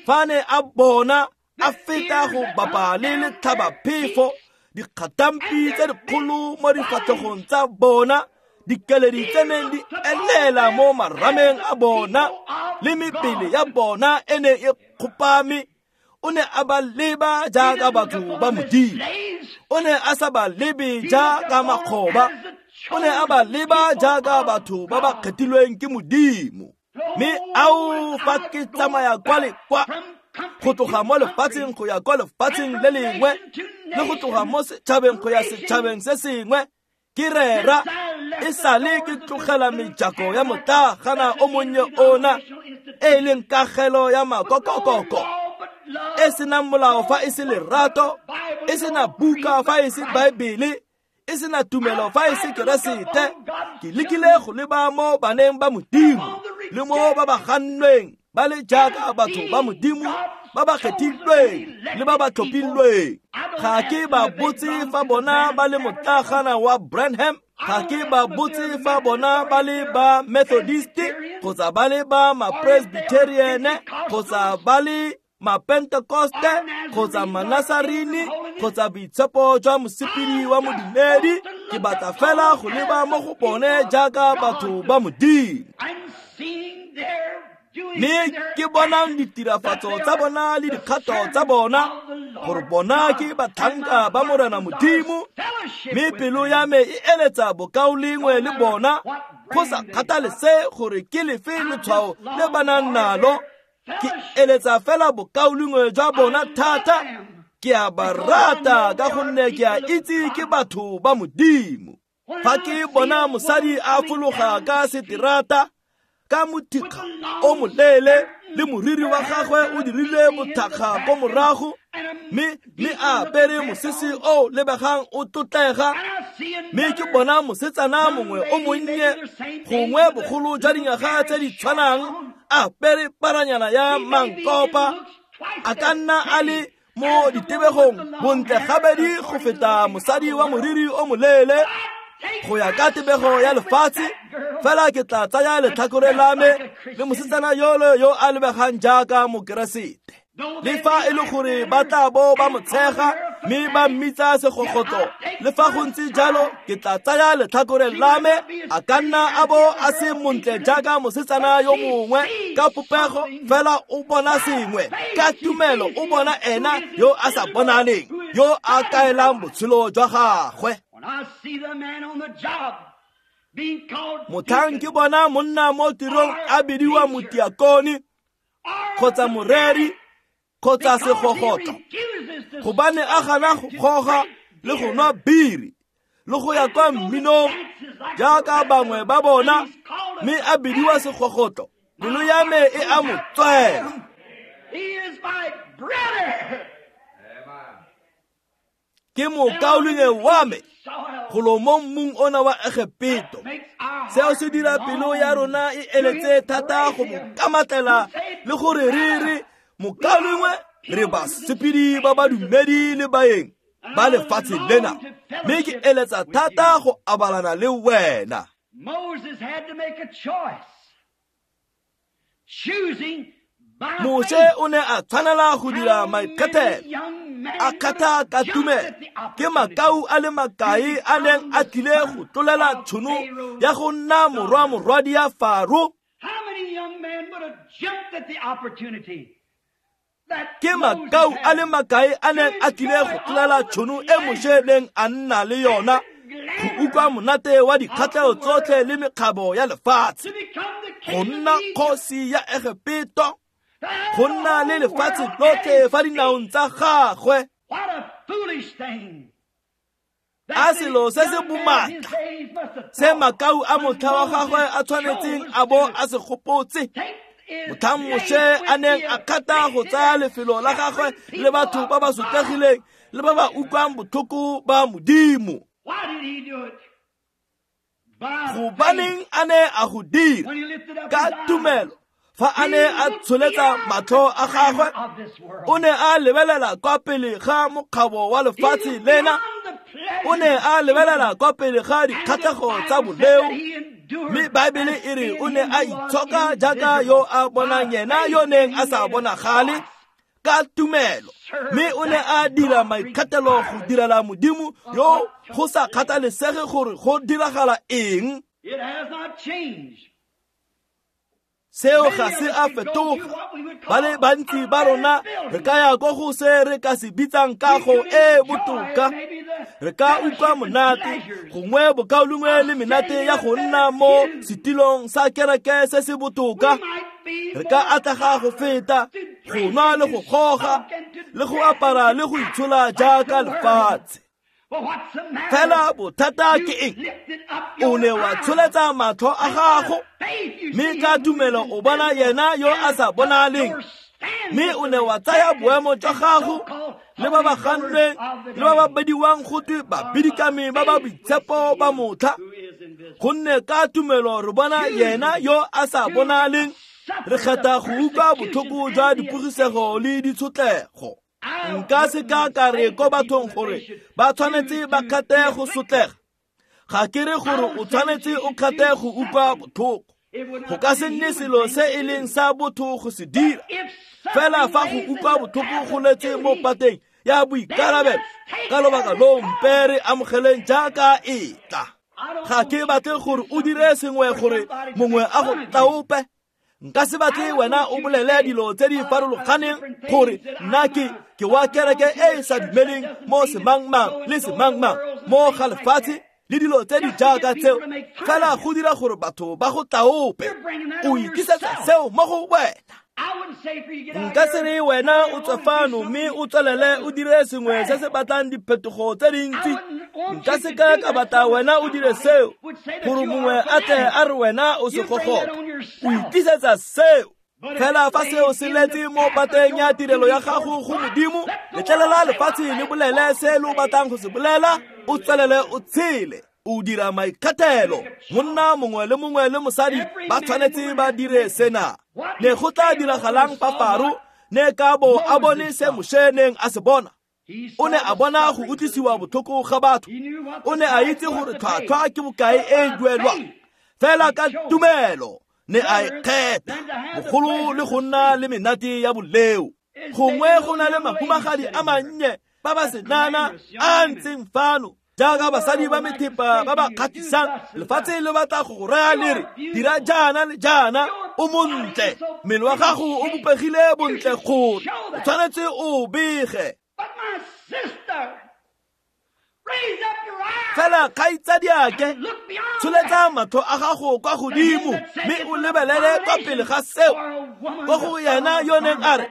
S1: Fa ne a bona a feta go bapa le letlhabaphefo, dikgatampi tse dikgolo mo difatlhegong tsa bona, dikeledi tse neng di elela mo marameng a bona, le mebele ya bona e ne e kgopame, o ne a ba leba jaaka batho ba Modimo. O ne a sa ba lebe jaaka makgoba, o ne a ba leba jaaka batho ba ba kgethilweng ke Modimo. Mme ao fa ke tsamaya kwa le kwa, go tloga mo lefatsheng go ya kwa lefatsheng le lengwe, le go tloga mo setšhabeng go ya setšhabeng se sengwe, ke rera e sale ke tlogela mejako ya motlagana o monnye ona, e leng kagelo ya makokokoko, e senang molao fa e se lerato, e sena buka fa e se Baebele, e sena tumelo fa e se Keresete. Ke lekile go leba mo baneng ba Modimo le mo ba ba gannweng ba le jaaka batho ba Modimo ba ba kgethilweng le ba ba tlhophilweng. Ga ke ba botse fa bona ba le motlagana wa Branham, ga ke ba botse fa bona ba le ba Methodist kgotsa ba le ba ma-Presbyterian kgotsa ba le ma-Pentecoste kgotsa ma-Nazarini kgotsa boitshepo jwa mosepedi wa modumedi. Ke batla fela go leba mo go bone jaaka batho ba Modimo, mme ke bonang ditirafatso tsa bona le dikgato tsa bona, gore bona ke batlhanka ba Morena Modimo, mme pelo ya me e eletsa bokaulengwe le bona, go sa kgathalese gore ke lefe letshwao le ba nang nalo. Ke eletsa fela bokaulengwe jwa bona thata. Ke a ba rata ka gonne ke a itse ke batho ba Modimo. Fa ke bona mosadi a fologa ka seterata ka mothikga o moleele le moriri wa gagwe o dirile bothakga ko morago, mme a apere mosese o lebegang o tlotlega, mme ke bona mosetsana mongwe o monnye gongwe bogolo jwa dinyaga tse di tshwanang a apere paranyana ya mankopa, a ka nna a le mo ditebegong bontle gabedi go feta mosadi wa moriri o moleele go ya ka tebego ya lefatshe. Fela ke tla tsaya letlhakore la me le mosetsana yole yo a lebegang jaaka Mokeresete, le fa e le gore ba tla bo ba mo tshega Mme ba mmitsa segogotlo. Le fa go ntse jalo, ke tla tsaya letlhakore la me. A ka nna a bo a se montle jaaka mosetsana yo mongwe ka popego, fela o bona sengwe. Ka tumelo o bona ena yo a sa bonaleng, yo a kaelang botshelo jwa gagwe. Motlhang ke bona monna mo tirong a bidiwa motiakone kgotsa moreri kgotsa segogotlo, gobane a gana go goga le go nwa biri le go ya kwa mminong jaaka bangwe ba bona, mme a bidiwa segogotlo, pelo ya me e a mo tswela. Ke mokaulengwe wa me golo mo mmung ona wa Egepeto. Seo se dira pelo ya rona e eletse thata go mo kamatlela le gore re re mokaulengwe re basepedi ba badumedi le baeng ba lefatshe lena, mme ke eletsa thata go abalana le wena. Moshe o ne a tshwanela go dira maikgethelo, a kgatha ka tumelo. Ke makau a le makae a neng a tlile go tlolela tšhono ya go nna morwa morwadi ya Faro? Ke makau a le makae a neng a tlile go tlolela tšhono e Moshe neng a nna le yona go utlwa monate wa dikgatlhego tsotlhe le mekgabo ya lefatshe, go nna kgosi ya Egepeto, go nna le lefatshe lotlhe fa dinaong tsa gagwe. A selo se se bomatla se makau a motlha wa gagwe a tshwanetseng a bo a se gopotse motlhang Moshe a neng a kgatha go tsaya lefelo la gagwe le batho ba ba sotlegileng le ba ba utlwang botlhoko ba Modimo. Gobaneng a ne a go dira? Ka tumelo. Fa a ne a tsholetsa matlho a gagwe, o ne a lebelela kwa pele ga mokgabo wa lefatshe lena, o ne a lebelela kwa pele ga dikgatlhego tsa boleo, mme Baebele e re o ne a itshoka jaaka yo a bonang yena yo neng a sa bonagale ka tumelo, mme o ne a dira maikgethelo go direla Modimo yo go sa kgathalesege gore go diragala eng. Seo ga se a fetoga. Ba le bantsi ba rona re ka ya ko go se re ka se bitsang kago e botoka, re ka utlwa monate gongwe bokaulengwe le menate ya go nna mo setilong sa kereke se se botoka, re ka atlega go feta go nwa le go goga le go apara le go itshola jaaka lefatshe. Fela bothata ke eng? O ne wa tsholetsa matlho a gago, mme ka tumelo o bona yena yo a sa bonaleng, mme o ne wa tsaya boemo jwa gago le ba ba gannweng le ba ba bediwang go twe babidikami ba ba boitshepo ba motlha, gonne ka tumelo re bona yena yo a sa bonaleng, re kgetha go utlwa botlhoko jwa dipogisego le ditshotlego. Nka se ka ka re ko bathong gore ba tshwanetse ba kgathe go sotlega. Ga ke re gore o tshwanetse o kgathe go utlwa botlhoko. Go ka se nne selo se e leng sa botho go se dira. Fela fa go utlwa botlhoko go letse mo pateng ya boikarabelo, ka lobaka loo mpe re amogeleng jaaka e tla. Ga ke batle gore o dire sengwe gore mongwe a go tlaope. Nka se batle wena o bolele dilo tse di farologaneng gore nna ke wa kereke e e sa dumeleng mo semangmang le semangmang mo ga lefatshe le dilo tse di jaaka tseo, fela go dira gore batho ba go tlaope. O itlisetsa seo mo go wena. Nka se re wena o tswe fano mme o tswelele o dire sengwe se se batlang diphetogo tse dintsi. Nka se ka ka batla wena o dire seo gore mongwe a tle a re wena o segogotlo. O itlisetsa seo. Fela fa seo se letse mo pateng ya tirelo ya gago go Modimo, letlelela lefatshe le bolele se lo batlang go se bolela, o tswelele o tshele. O dira maikgethelo. Monna mongwe le mongwe le mosadi ba tshwanetse ba dire sena. Ne go tla diragalang fa Faro ne ka bo a bone se Moshe neng a se bona? O ne a bona go utlwisiwa botlhoko ga batho. O ne a itse gore tlhwatlhwa ke bokae e duelwang. Fela ka tumelo ne a e kgetha bogolo le go nna le menate ya boleo. Gongwe go na le mahumagadi a mannye ba ba senana a ntseng fano jaaka basadi ba methepa ba ba kgatlhisang lefatshe le batla go go raya le re dira jaana le jaana o montle mmele wa gago o bopegile bontle gore o tshwanetse o bege. Fela kgaitsadiake tsholetsa matlho a gago kwa godimo mme o lebelele kwa pele ga seo kwa go yena yo neng a re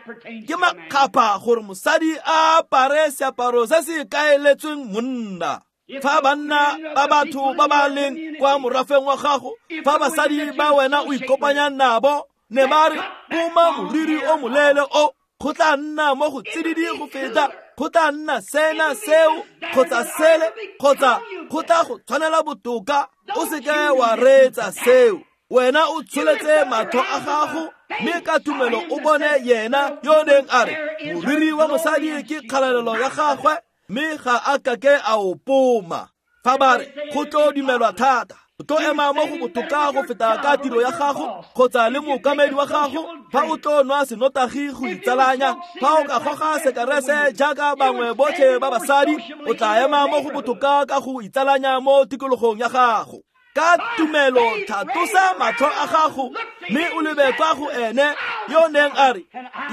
S1: ke makgapha gore mosadi a apare seaparo se se kaeletsweng monna. Fa banna ba batho ba ba leng kwa morafeng wa gago, fa basadi ba wena o ikopanyang nabo ne ba re poma moriri o moleele o go tla nna mo go tsididi go feta, go tla nna sena seo kgotsa sele kgotsa go tla go tshwanela botoka, o seke wa reetsa seo. Wena o tsholetse matlho a gago mme ka tumelo o bone yena yo neng a re moriri wa mosadi ke kgalalelo ya gagwe mme ga a kake a o poma. Fa ba re go tlo dumelwa thata, o tlo ema mo go botoka go feta ka tiro ya gago kgotsa le mookamedi wa gago fa o tlo nwa senotagi go itsalanya, fa o ka goga sekerese jaaka bangwe botlhe ba basadi, o tla ema mo go botoka ka go itsalanya mo tikologong ya gago. Ka tumelo tlhatlosa matlho a gago mme o lebe kwa go ene yo neng a re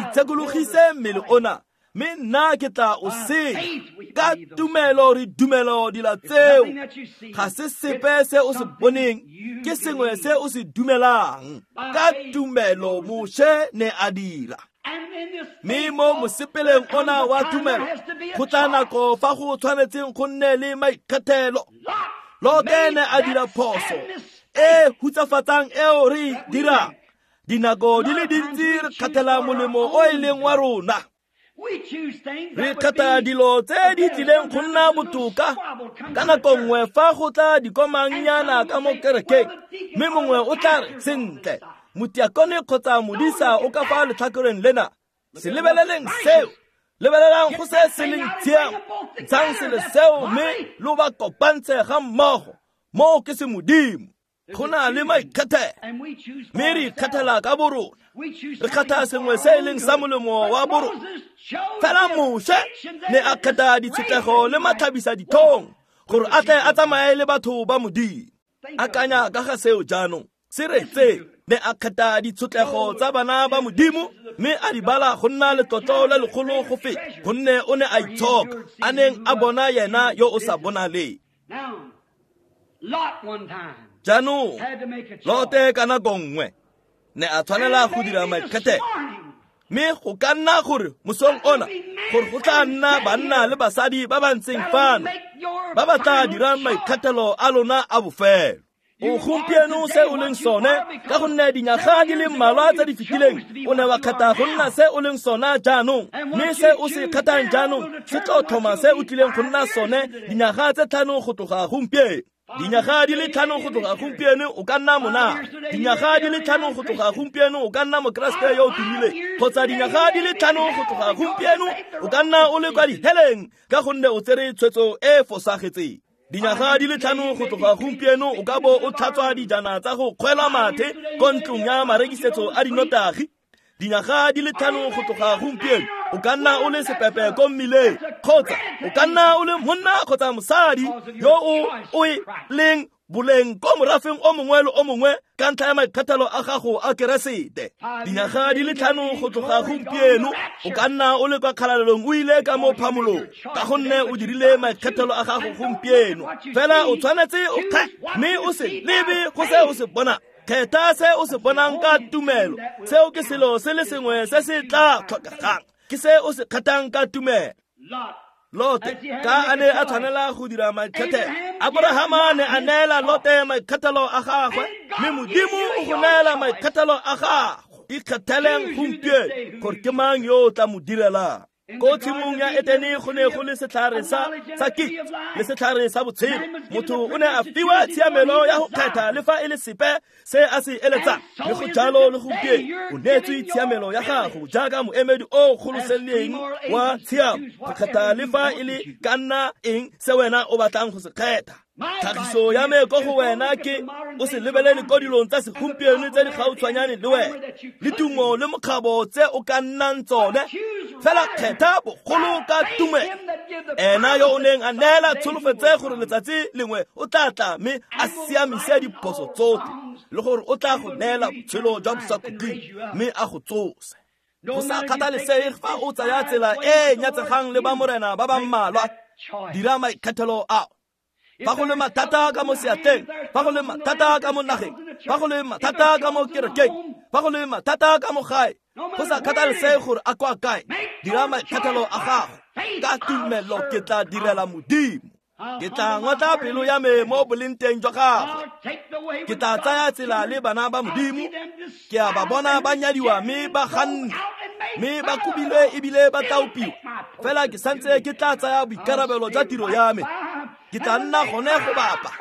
S1: itshekologise mmele ona mme nna ke tla o senya. Ka tumelo re dumelo dilo tseo, ga se sepe se o se boneng, ke sengwe se o se dumelang. Ka tumelo Moshe ne a dira. Mme mo mosepeleng ona wa tumelo go tla nako fa go tshwanetseng go nne le maikgethelo. Lote ne a dira phoso e hutsafatsang eo re dirang. Dinako di le dintsi re kgathela molemo o e leng wa rona. Re kgetha dilo tse di tlileng go nna botoka ka nako nngwe fa go tla dikomangnyana ka mo kerekeng, mme mongwe o tla re sentle motiakone kgotsa modisa o ka fa letlhakoreng lena. Se lebeleleng seo, lebelelang go se se leng tshiamo, ntshang selo seo mme lo ba kopantshe ga mmogo. Moo ke se Modimo. Go na le maikgethelo mme re ikgethela ka borona, re kgetha sengwe se e leng sa molemo wa borona. Fela Moshe ne a kgetha ditshetlego le matlhabisa ditlhong gore a tle a tsamaye le batho ba Modimo. Akanya ka ga seo jaanong, se retse ne a kgetha ditshotlego tsa bana ba Modimo mme a di bala go nna letlotlo le legolo go feta, gonne o ne a itshoka a neng a bona yena yo o sa bonaleng. Jaanong Lote ka nako nngwe ne a tshwanela go dira maikgethelo, mme go ka nna gore mosong ona gore go tla nna banna le basadi ba ba ntseng fano ba ba tla dirang maikgethelo a lona a bofelo. O gompieno se o leng sone ka gonne dinyaga di le mmalwa tse di fetileng o ne wa kgetha go nna se o leng sona jaanong, mme se o se kgethang jaanong se tlo tlhoma se o tlileng go nna sone dinyaga tse 5 go tloga gompieno. Dinyaga di le 5 go tloga gompieno o ka nna mona, dinyaga di le 5 go tloga gompieno o ka nna mokeresete yo o tumileng, kgotsa dinyaga di le 5 go tloga gompieno o ka nna o le kwa diheleng ka gonne o tsere tshwetso e fosagetseng. Dinyaga di le 5 go tloga gompieno o ka bo o tlhatswa dijana tsa go kgwela mathe ko ntlong ya marekisetso a dinotagi. Dinyaga di le 5 go tloga gompieno o ka nna o le sepepe ko mmileng, kgotsa o ka nna o le monna kgotsa mosadi yo o e leng boleng ko morafeng o mongwe le o mongwe ka ntlha ya maikgethelo a gago a Keresete. Dinyaga di le 5 go tloga gompieno o ka nna o le kwa kgalalelong o ile ka mo phamolong ka gonne o dirile maikgethelo a gago gompieno. Fela o tshwanetse o kgethe mme o se lebe go se o se bonang. Kgetha se o se bonang ka tumelo. Seo ke selo se le sengwe se se tla tlhokegang, ke se o se kgethang ka tumelo. Lote ka a ne a tshwanela go dira maikgethelo, Abrahama ne a neela Lote maikgethelo a gagwe, mme Modimo o go neela maikgethelo a gago. Ikgetheleng gompieno gore ke mang yo o tla mo direlang. Ko tshimong ya Etene go ne go le setlhare sa kitso le setlhare sa botshelo. Motho o ne a fiwa tshiamelo ya go kgetha le fa e le sepe se a se eletsang. Le go jalo le gompieno o neetswe tshiamelo ya gago jaaka moemedi o goloseleng wa tshiamo go kgetha le fa e le ka nna eng se wena o batlang go se kgetha. Tlhagiso ya me ko go wena ke o se lebelele ko dilong tsa segompieno tse di gautshwanyane le wena le tumo le mokgabo tse o ka nnang tsone, Fela kgetha bogolo ka tumelo. Ena yo o neng a neela tsholofetse gore letsatsi lengwe o tla tla mme a siamise diphoso tsotlhe, le gore o tla go neela botshelo jwa bosakhutleng mme a go tsose. Go sa kgathalesege fa o tsaya tsela e nyatsegang le ba morena ba ba mmalwa, dira maikgethelo ao. Fa go le mathata ka mo seatleng, fa go le mathata ka mo nageng, fa go le mathata ka mo kerekeng, fa go le mathata ka mo gae, go sa kgathalesege gore a kwa kae, dira maikgethelo a gago. Ka tumelo ke tla direla Modimo. Ke tla ngotla pelo ya me mo bolenteng jwa gagwe. Ke tla tsaya tsela le bana ba Modimo. Ke a ba bona ba nyadiwa mme ba ganne, mme ba kobilwe ebile ba tlaopiwa. Fela ke santse ke tla tsaya boikarabelo jwa tiro ya me. Ke tla nna gone go bapa,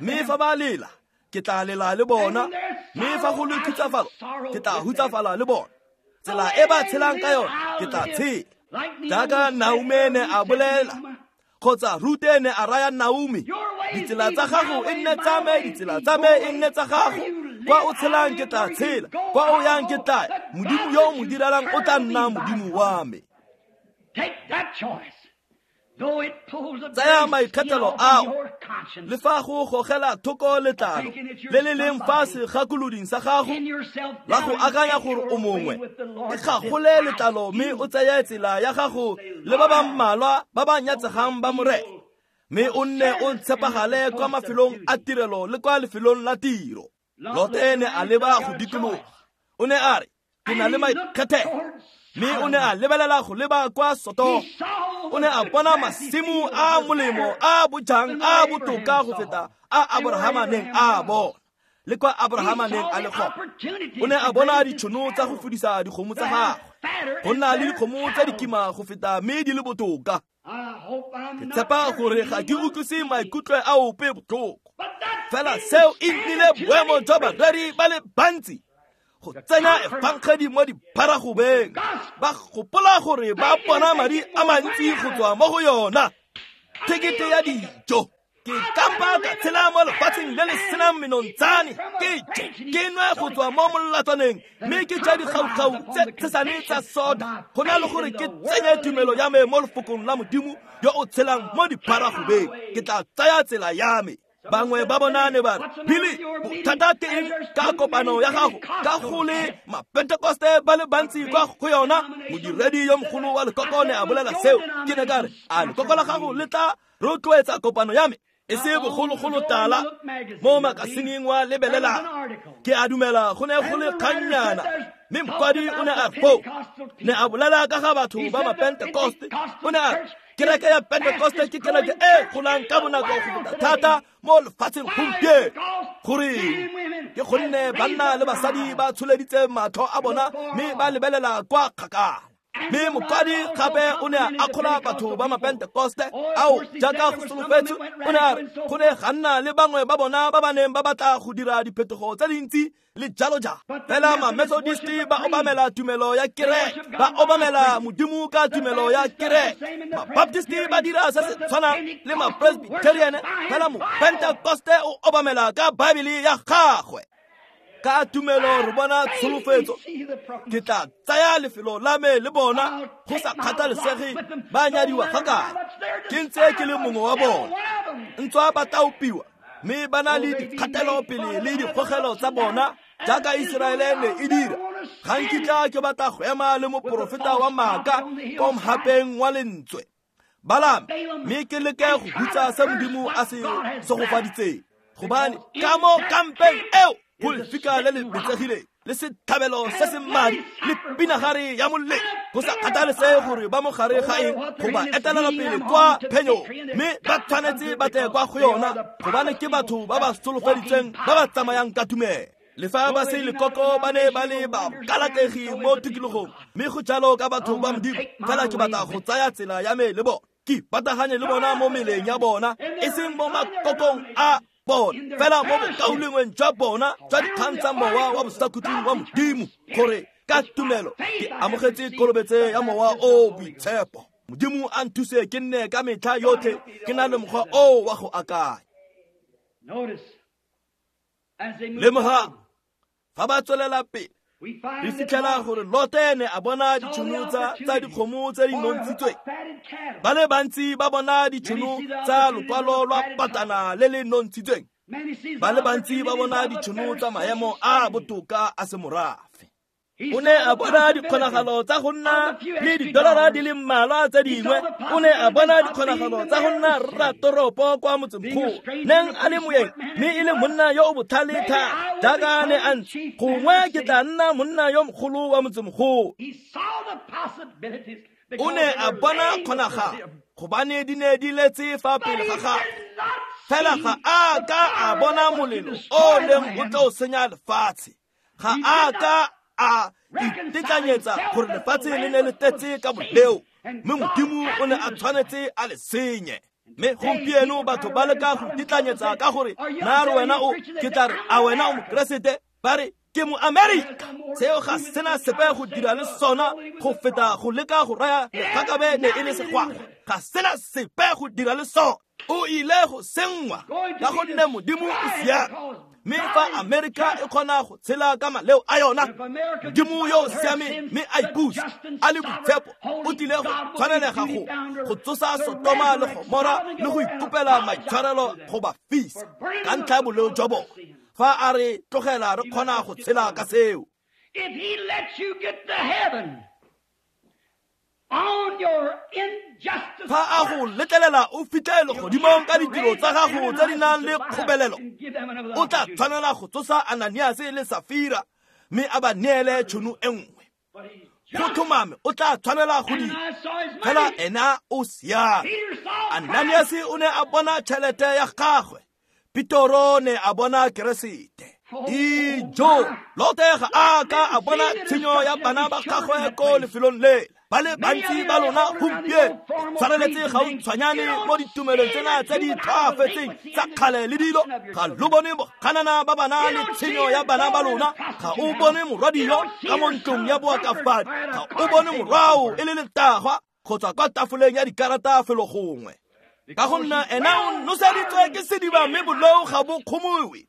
S1: mme fa ba lela, ke tla lela le bona, mme fa go le khutsafalo, ke tla hutsafala le bona. Tsela e ba tshelang ka yone, ke tla tshela. Jaaka Naomi ne a bolela, kgotsa Rute ne a raya Naomi, ditsela tsa gago e nne tsa me, ditsela tsa me e nne tsa gago. Kwa o tshelang ke tla tshela, kwa o yang ke tla ya. Modimo yo o mo direlang o tla nna Modimo wa me. Tsaya maikgethelo ao, le fa go gogela thoko letlalo le le leng fa segakoloding sa gago la go akanya gore o mongwe, e gagole letlalo mme o tseye tsela ya gago le ba ba mmalwa ba ba nyatsegang ba Morena, mme o nne o tshepagale kwa mafelong a tirelo le kwa lefelong la tiro. Lote ne a leba go dikologa, o ne a re, ke na le maikgethelo. Mme o ne a lebelela go leba kwa Sodoma. O ne a bona masimo a molemo a bojang a botoka go feta a Abrahama neng a bona, le kwa Abrahama neng a le gona. O ne a bona ditšhono tsa go fudisa dikgomo tsa gagwe, go nna le dikgomo tse di kima go feta mme di le botoka. Ke tshepa gore ga ke utlwise maikutlo a ope botlhoko, fela seo e nnile boemo jwa bareri ba le bantsi go tsenya efangedi mo dipharagobeng, ba gopola gore ba bona madi a mantsi go tswa mo go yona. Thekete ya dijo, ke kampa ka tshela mo lefatsheng le le senang menontshane, ke je, ke nwe go tswa mo molatswaneng, mme ke ja dikgaukgau tse tshesane tsa soda, go na le gore ke tsenye tumelo ya me mo lefokong la Modimo yo o tshelang mo dipharagobeng. Ke tla tsaya tsela ya me. Bangwe ba bona ne ba re, Billy, bothata ke eng ka kopano ya gago ka go le mapentekoste ba le bantsi kwa go yona? Modiredi yo mogolo wa lekoko ne a bolela seo. Ke ne ka re, a lekoko la gago le tla rotloetsa kopano ya me? E se bogologolo tala mo makasineng wa lebelela, ke a dumela go ne go le kgannyana, mme mokwadi o ne a foo ne a bolela ka ga batho ba mapentekoste. O ne a re, kereke ya Pentekoste ke kereke e golang ka bonako go feta thata mo lefatsheng gompieno. Goreng? Ke gonne banna le basadi ba tsholeditse matlho a bona mme ba lebelela kwa kgakala. Mme mokwadi gape o ne a akgola batho ba mapentekoste ao jaaka go solofetswe. O ne a re go ne ga nna le bangwe ba bona ba ba neng ba batla go dira diphetogo tse dintsi le jalo jalo, fela ma-Methodist ba obamela tumelo ya kereke, ba obamela Modimo ka tumelo ya kereke. Ma-Baptist ba dira se se tshwanang le ma-Presbyterian, fela mo-Pentekoste o obamela ka Baebele ya gagwe. Ka tumelo re bona tsholofetso. Ke tla tsaya lefelo la me le bona, go sa kgathalesege ba nyadiwa ga kae, ke ntse ke le mongwe wa bona. Ntswa ba tlaopiwa mme ba na le dikgatelopele le dikgogelo tsa bona jaaka Iseraele ne e dira. Ga nkitla ke batla go ema le moporofeta wa maaka ko mhapeng wa lentswe Balame, mme ke leke go hutsa se Modimo a se segofaditseng, gobane ka mo kampeng eo go lefika le le betsegileng le setlhabelo se se madi le pinagare ya molelo, go sa kgathalesege gore ba mo gare ga eng go ba etelela pele kwa phenyong, mme ba tshwanetse ba tle kwa go yona, gobane ke batho ba ba solofeditsweng ba ba tsamayang ka tumelo. Le fa ba se lekoko ba ne ba le ba kalatlegi mo tikologong, mme go jalo ka batho ba Modimo. Fela ke batla go tsaya tsela ya me le bona, ke ipataganye le bona mo meleng ya bona, e seng mo makokong a bona, fela mo bokaulengweng jwa bona jwa dikgang tsa mowa wa bosakhutleng wa Modimo, gore ka tumelo ke amogetse kolobetse ya mowa o boitshepo. Modimo a nthuse ke nne ka metlha yotlhe ke na le mokgwa o wa go akanya. Lemogang fa ba tswelela pele, Re fitlhela gore Lote ne a bona ditšhono tsa dikgomo tse di nontshitsweng. Ba le bantsi ba bona ditšhono tsa lokwalo lwa patana le le nontshitsweng. Ba le bantsi ba bona ditšhono tsa maemo a botoka a semorafe. O ne a bona dikgonagalo tsa go nna le didolara di le mmalwa tse dingwe. O ne a bona dikgonagalo tsa go nna rratoropo kwa motsemogolo, neng a le moeng mme e le monna yo o botlhale thata jaaka ne a ntse. Gongwe ke tla nna monna yo mogolo wa motsemogolo. O ne a bona kgonagalo gobane di ne di letse fa pele ga gagwe. Fela ga a ka a bona molelo o neng o tlo senya lefatshe. Ga a ka a itetlanyetsa gore lefatshe le ne le tletse ka boleo, mme Modimo o ne a tshwanetse a le senye. Mme gompieno batho ba leka go itetlanyetsa ka gore na re wena o ke tla re a wena o Mokeresete, ba re ke mo Amerika. Seo ga sena sepe go dira le sona go feta go leka go raya legakabe ne e le segwagwa. Ga sena sepe go dira le sona. O ile go senngwa ka gonne Modimo o siame. Mme fa Amerika e kgona go tshela ka maleo a yona, Modimo yo o siameng mme a ipusa a le boitshepo o tlile go tshwanelega go tsosa Sotoma le Gomora le go ikopela maitshwarelo go ba fisa ka ntlha ya boleo jwa bone. Fa a re tlogela re kgona go tshela ka seo.
S2: If he lets you get to heaven on your injustice,
S1: fa a go letlelela o fitlhe legodimong ka ditiro tsa gago tse di nang le kgobelelo, o tla tshwanela go tsosa Ananiase le Safira mme a ba neele tšhono e nngwe. Go tlhomame o tla tshwanela go dira, fela ena o siame. Ananiase o ne a bona tšhelete ya gagwe, Petoro ne a bona Keresete. Ijo, Lote ga a ka a bona tshenyo ya bana ba gagwe ko lefelong lela. Ba le bantsi ba lona gompieno tshwaneletse gautshwanyane mo ditumelong tsena tse di tlhoafetseng tsa kgale le dilo. Ga lo bone boganana ba bana le tshenyo ya bana ba lona. Ga o bone morwadio ka mo ntlong ya boakafadi. Ga o bone morwao e le letagwa kgotsa kwa tafoleng ya dikarata felo gongwe. Ka go nna ena o noseditswe ke sediba mme boleo ga bo kgomowe.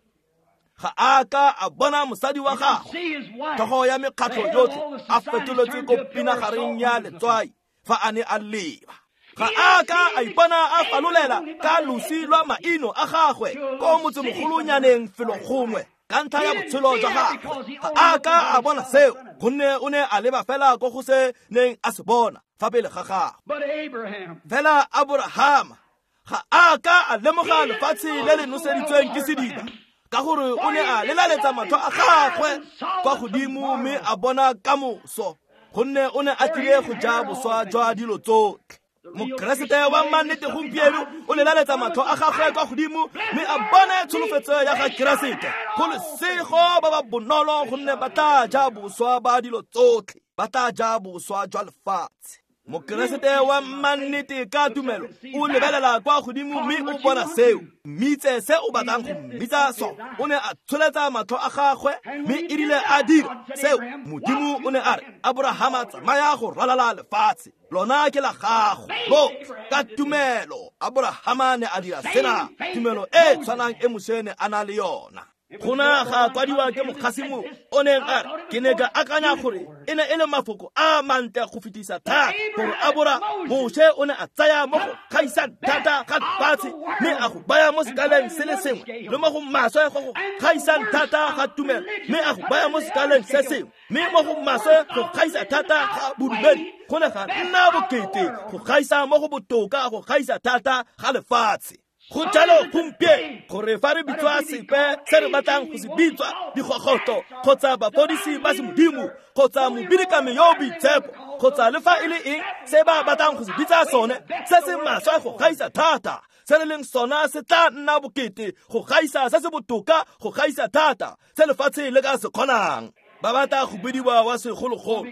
S1: Ga a ka a bona mosadi wa gagwe, tlhogo ya mekgatlho yotlhe, a fetoletswe ko pinagareng ya letswai fa a ne a leba. Ga a ka a ipona a falolela ka losi lwa maino a gagwe ko motsemogolonyaneng felo gongwe ka ntlha ya botshelo jwa gagwe. Ga a ka a bona seo gonne o ne a leba fela ko go se neng a se bona fa pele ga gagwe. Fela Aborahama ga a ka a lemoga lefatshe le le noseditsweng ke sediba, ka gore o ne a lelaletsa matlho a gagwe kwa godimo mme a bona kamoso, gonne o ne a tlile go ja boswa jwa dilo tsotlhe. Mokeresete wa mannete gompieno o lelaletsa matlho a gagwe kwa godimo mme a bone tsholofetso ya ga Keresete. Go lesego ba ba bonolo gonne ba tla ja boswa ba dilo tsotlhe, ba tla ja boswa jwa lefatshe. Mokeresete wa mannete ka tumelo o lebelela kwa godimo mme o bona seo. Mmitse se o batlang go mmitsa sona. O ne a tsholetsa matlho a gagwe mme e rile a dira seo, Modimo o ne a re, Aborahama, tsamaya go ralala lefatshe, lona ke la gago. Lo ka tumelo Aborahama ne a dira sena, tumelo e tshwanang e Moshe ne a na le yona. Gona ga kwadiwa ke mokgasi o neng a re, ke ne ka akanya gore e ne e le mafoko a mantle go fetisa thata gore Abora Moshe o ne a tsaya mo go gaisang thata ga lefatshe mme a go baya mo sekaleng se le sengwe, le mo go maswe go go gaisang thata ga tumelo mme a go baya mo sekaleng se sengwe, mme mo go maswe go gaisa thata ga bodumedi go ne ga nna bokete go gaisa mo go botoka go gaisa thata ga lefatshe. Go jalo gompieno gore fa re bitswa sepe se re batlang go se bitswa, digogotlo kgotsa bafodisi ba semodimo kgotsa mobidikame yo o boitshepo kgotsa le fa e le eng se ba batlang go se bitsa sone, se se maswe go gaisa thata se re leng sona se tla nna bokete go gaisa se se botoka go gaisa thata se lefatshe le ka se kgonang. Ba batla go bidiwa wa segologolo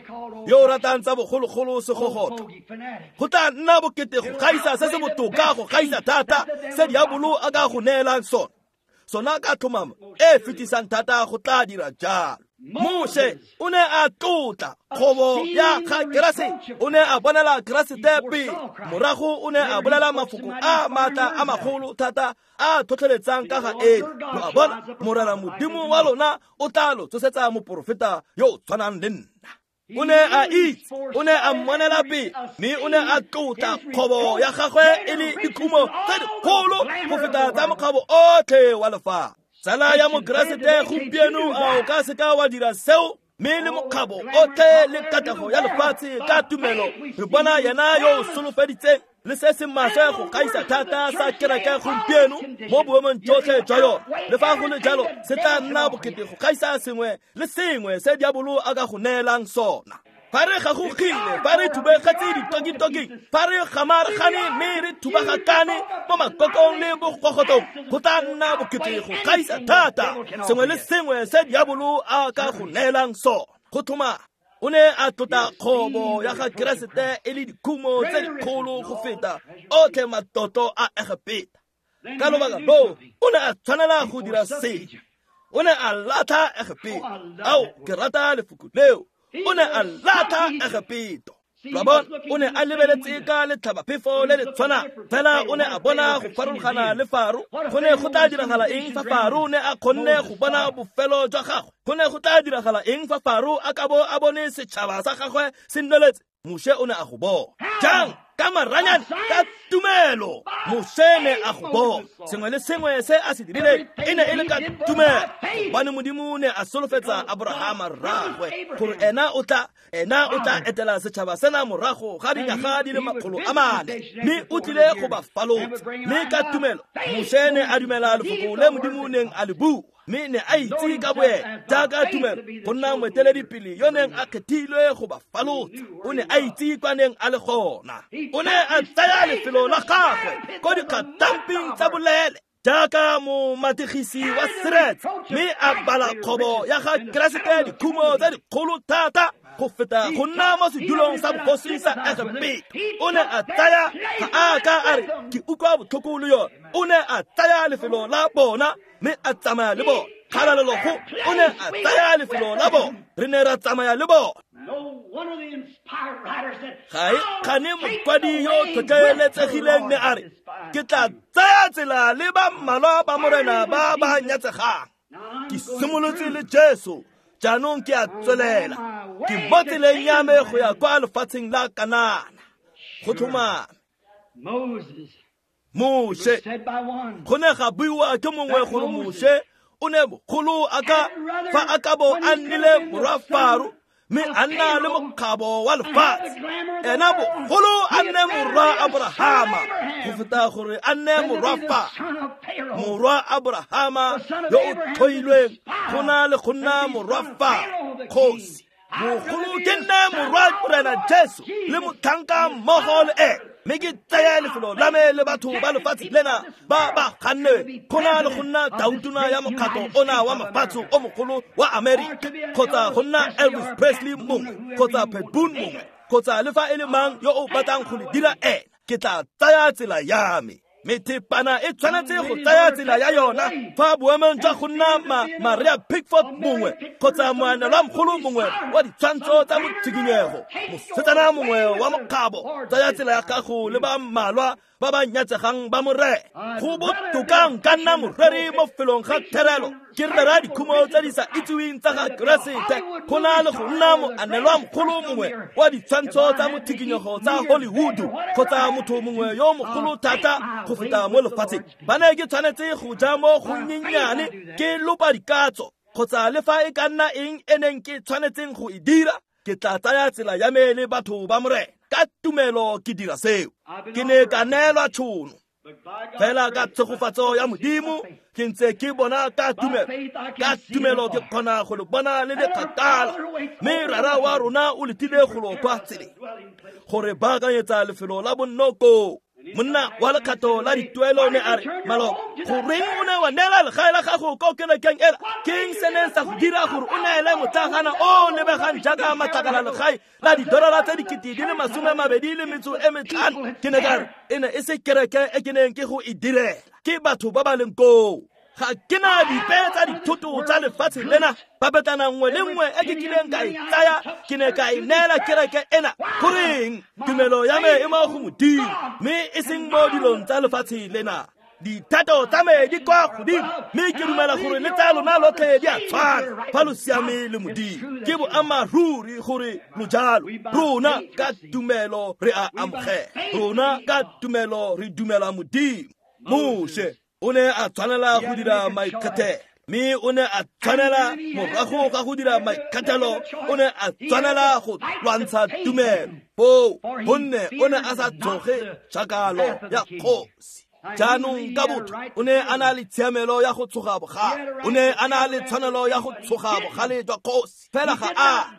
S1: yo o ratang tsa bogologolo segogotlo. Go tla nna bokete go gaisa se se botoka go gaisa thata se diabolo a ka go neelang sona. Sona ka tlhomamo e fetisang thata go tla dira jalo. Moshe o ne a tlotla kgobo ya ga Keresete, o ne a bonela Keresete pele. Morago o ne a bolela mafoko a maatla a magolo thata a tlhotlheletsang ka ga ene. Lo a bona, Morena Modimo wa lona o tla lo tsosetsa moporofeta yo o tshwanang le nna. O ne a itse, o ne a mmonela pele, mme o ne a tlotla kgobo ya gagwe e le dikhumo tse dikgolo go feta tsa mokgabo otlhe wa lefatshe. Tsala ya Mokeresete gompieno, a o ka seka wa dira seo? Mme le mokgabo otlhe le katlego ya lefatshe ka tumelo re bona yena yo o solofeditseng le se se maswe go gaisa thata sa kereke gompieno mo boemong jotlhe jwa yona. Le fa go le jalo, se tla nna bokete go gaisa sengwe le sengwe se diabolo a ka go neelang sona. Fa re gagogile, fa re thubegetse ditokitoking, fa re gamaragane mme re thubagakane mo makokong le bogogotong, go tla nna bokete go gaisa thata sengwe le sengwe se diabolo a ka go neelang sona. Go tlhoma o ne a tlotla kgobo ya ga Keresete e le dikhumo tse dikgolo go feta otlhe matlotlo a Egepeta. Ka lobaka loo o ne a tshwanela go dira sengwe. O ne a latlha Egepeta. Ao, ke rata lefoko leo. O ne a latlha Egepeto. Lo a bona, o ne a lebeletse ka letlhabaphefo le le tshwanang, fela o ne a bona go farologana le Faro. Go ne go tla diragala eng fa Faro ne a kgonne go bona bofelo jwa gagwe? Go ne go tla diragala eng fa Faro a ka bo a bone setšhaba sa gagwe se nneletse? Moshe o ne a go bona. Jang? Ka maranyane, ka tumelo. Moshe ne a go bona. Sengwe le sengwe se a se dirileng e ne e le ka tumelo, gobane Modimo ne a solofetsa Aborahama rraagwe gore ena o tla etela setšhaba sena morago ga dinyaga di le 400, mme o tlile go ba falotsa. Mme ka tumelo Moshe ne a dumela lefoko le Modimo neng a le bua, mme ne a itse ka boene jaaka tumelo go nna moeteledipele yo neng a kgethilwe go ba falotsa. O ne a itse kwa neng a le gona. O ne a tsaya lefelo la gagwe ko dikgatamping tsa bolele jaaka momategisi wa seretse, mme a bala kgobo ya ga Keresete dikhumo tse dikgolo thata go feta go nna mo sedulong sa bogosi sa Egepeta. O ne a tsaya, ga a ka a re ke utlwa botlhoko le yone. O ne a tsaya lefelo la bona mme a tsamaya le bona. Kgalalelo go, o ne a tsaya lefelo la bona, re ne ra tsamaya le bona. Ga e kgane mokwadi yo tlhotlheletsegileng ne a re, ke tla tsaya tsela le ba mmalwa ba Morena ba ba nyatsegang. Ke simolotse le Jesu, jaanong ke a tswelela. Ke mo tseleng ya me go ya kwa lefatsheng la Kanana. Go tlhomame. Moshe, go ne ga buiwa ke mongwe gore Moshe o ne bogolo a ka fa a ka bo a nnile morwa Faro, mme a nna le mokgabo wa lefatshe. Ena bogolo a nne morwa Aborahama go feta gore a nne morwa Faro. Morwa Aborahama yo o tlhoilweng go na le go nna morwa Faro kgosi. Bogolo ke nne morwa Morena Jesu le motlhanka mmogo le ene, mme ke tseye lefelo la me le batho ba lefatshe lena ba ba ganne go na le go nna tautona ya mokgatlo ona wa mafatshe o mogolo wa Amerika, kgotsa go nna Elvis Presley mongwe, kgotsa Pat Boone mongwe, kgotsa le fa e le mang yo o batlang go le dira ena. Ke tla tsaya tsela ya me. Methepana e tshwanetse go tsaya tsela ya yona fa boemong jwa go nna Maria Pickford mongwe kgotsa moanelwamogolo mongwe wa ditshwantsho tsa motshikinyego, mosetsana mongwe wa mokgabo. Tsaya tsela ya gago le ba mmalwa ba ba nyatsegang ba Morena. Go botoka nka nna moreri mo felong ga therelo, ke rera dikhumo tse di sa itseweng tsa ga Keresete, go na le go nna moanelwamogolo mongwe wa ditshwantsho tsa mothikinyego tsa Hollywood, kgotsa motho mongwe yo mogolo thata go feta mo lefatsheng. Ba ne ke tshwanetse go ja mo gonnyenyane, ke lopa dikatso, kgotsa le fa e ka nna eng e neng ke tshwanetseng go e dira, ke tla tsaya tsela ya me le batho ba Morena. Ka tumelo ke dira seo. Ke ne ka neelwa tšhono, fela ka tshegofatso ya Modimo ke ntse ke bona ka tumelo. Ka tumelo ke kgona go le bona le le kgakala, mme Rara wa rona o letile go lo kwa tseleng gore baakanyetsa lefelo la bonno koo. Monna wa lekgatho la dituelo ne a re, maloba, goreng o ne wa neela legae la gago ko kerekeng ela? Ke eng se neng sa go dira gore o neele motlagana o lebegang jaaka matlakala legae la $25 025? Ke ne ka re, e ne e se kereke e ke neng ke go e direla, ke batho ba ba leng koo. Ga ke na dipe tsa dithoto tsa lefatshe lena. Papetlana nngwe le nngwe e ke kileng ka e tsaya ke ne ka e neela kereke ena. Goreng? Tumelo ya me e mo go Modimo, mme e seng mo dilong tsa lefatshe lena. Dithato tsa me di kwa godimo, mme ke dumela gore le tsa lona lotlhe di a tshwana fa lo siame le Modimo. Ke boammaaruri gore lo jalo. Rona ka tumelo re a amogela, rona ka tumelo re dumela Modimo. Moshe o ne a tshwanela go dira maikgethelo, mme o ne a tshwanela morago ga go dira maikgethelo o ne a tshwanela go lwantsha tumelo foo, gonne o ne a sa tshoge tšhakalo ya kgosi. Jaanong ka botho o ne a na le tshiamelo ya go tshoga bogale, o ne a na le tshwanelo ya go tshoga bogale jwa kgosi, fela ga a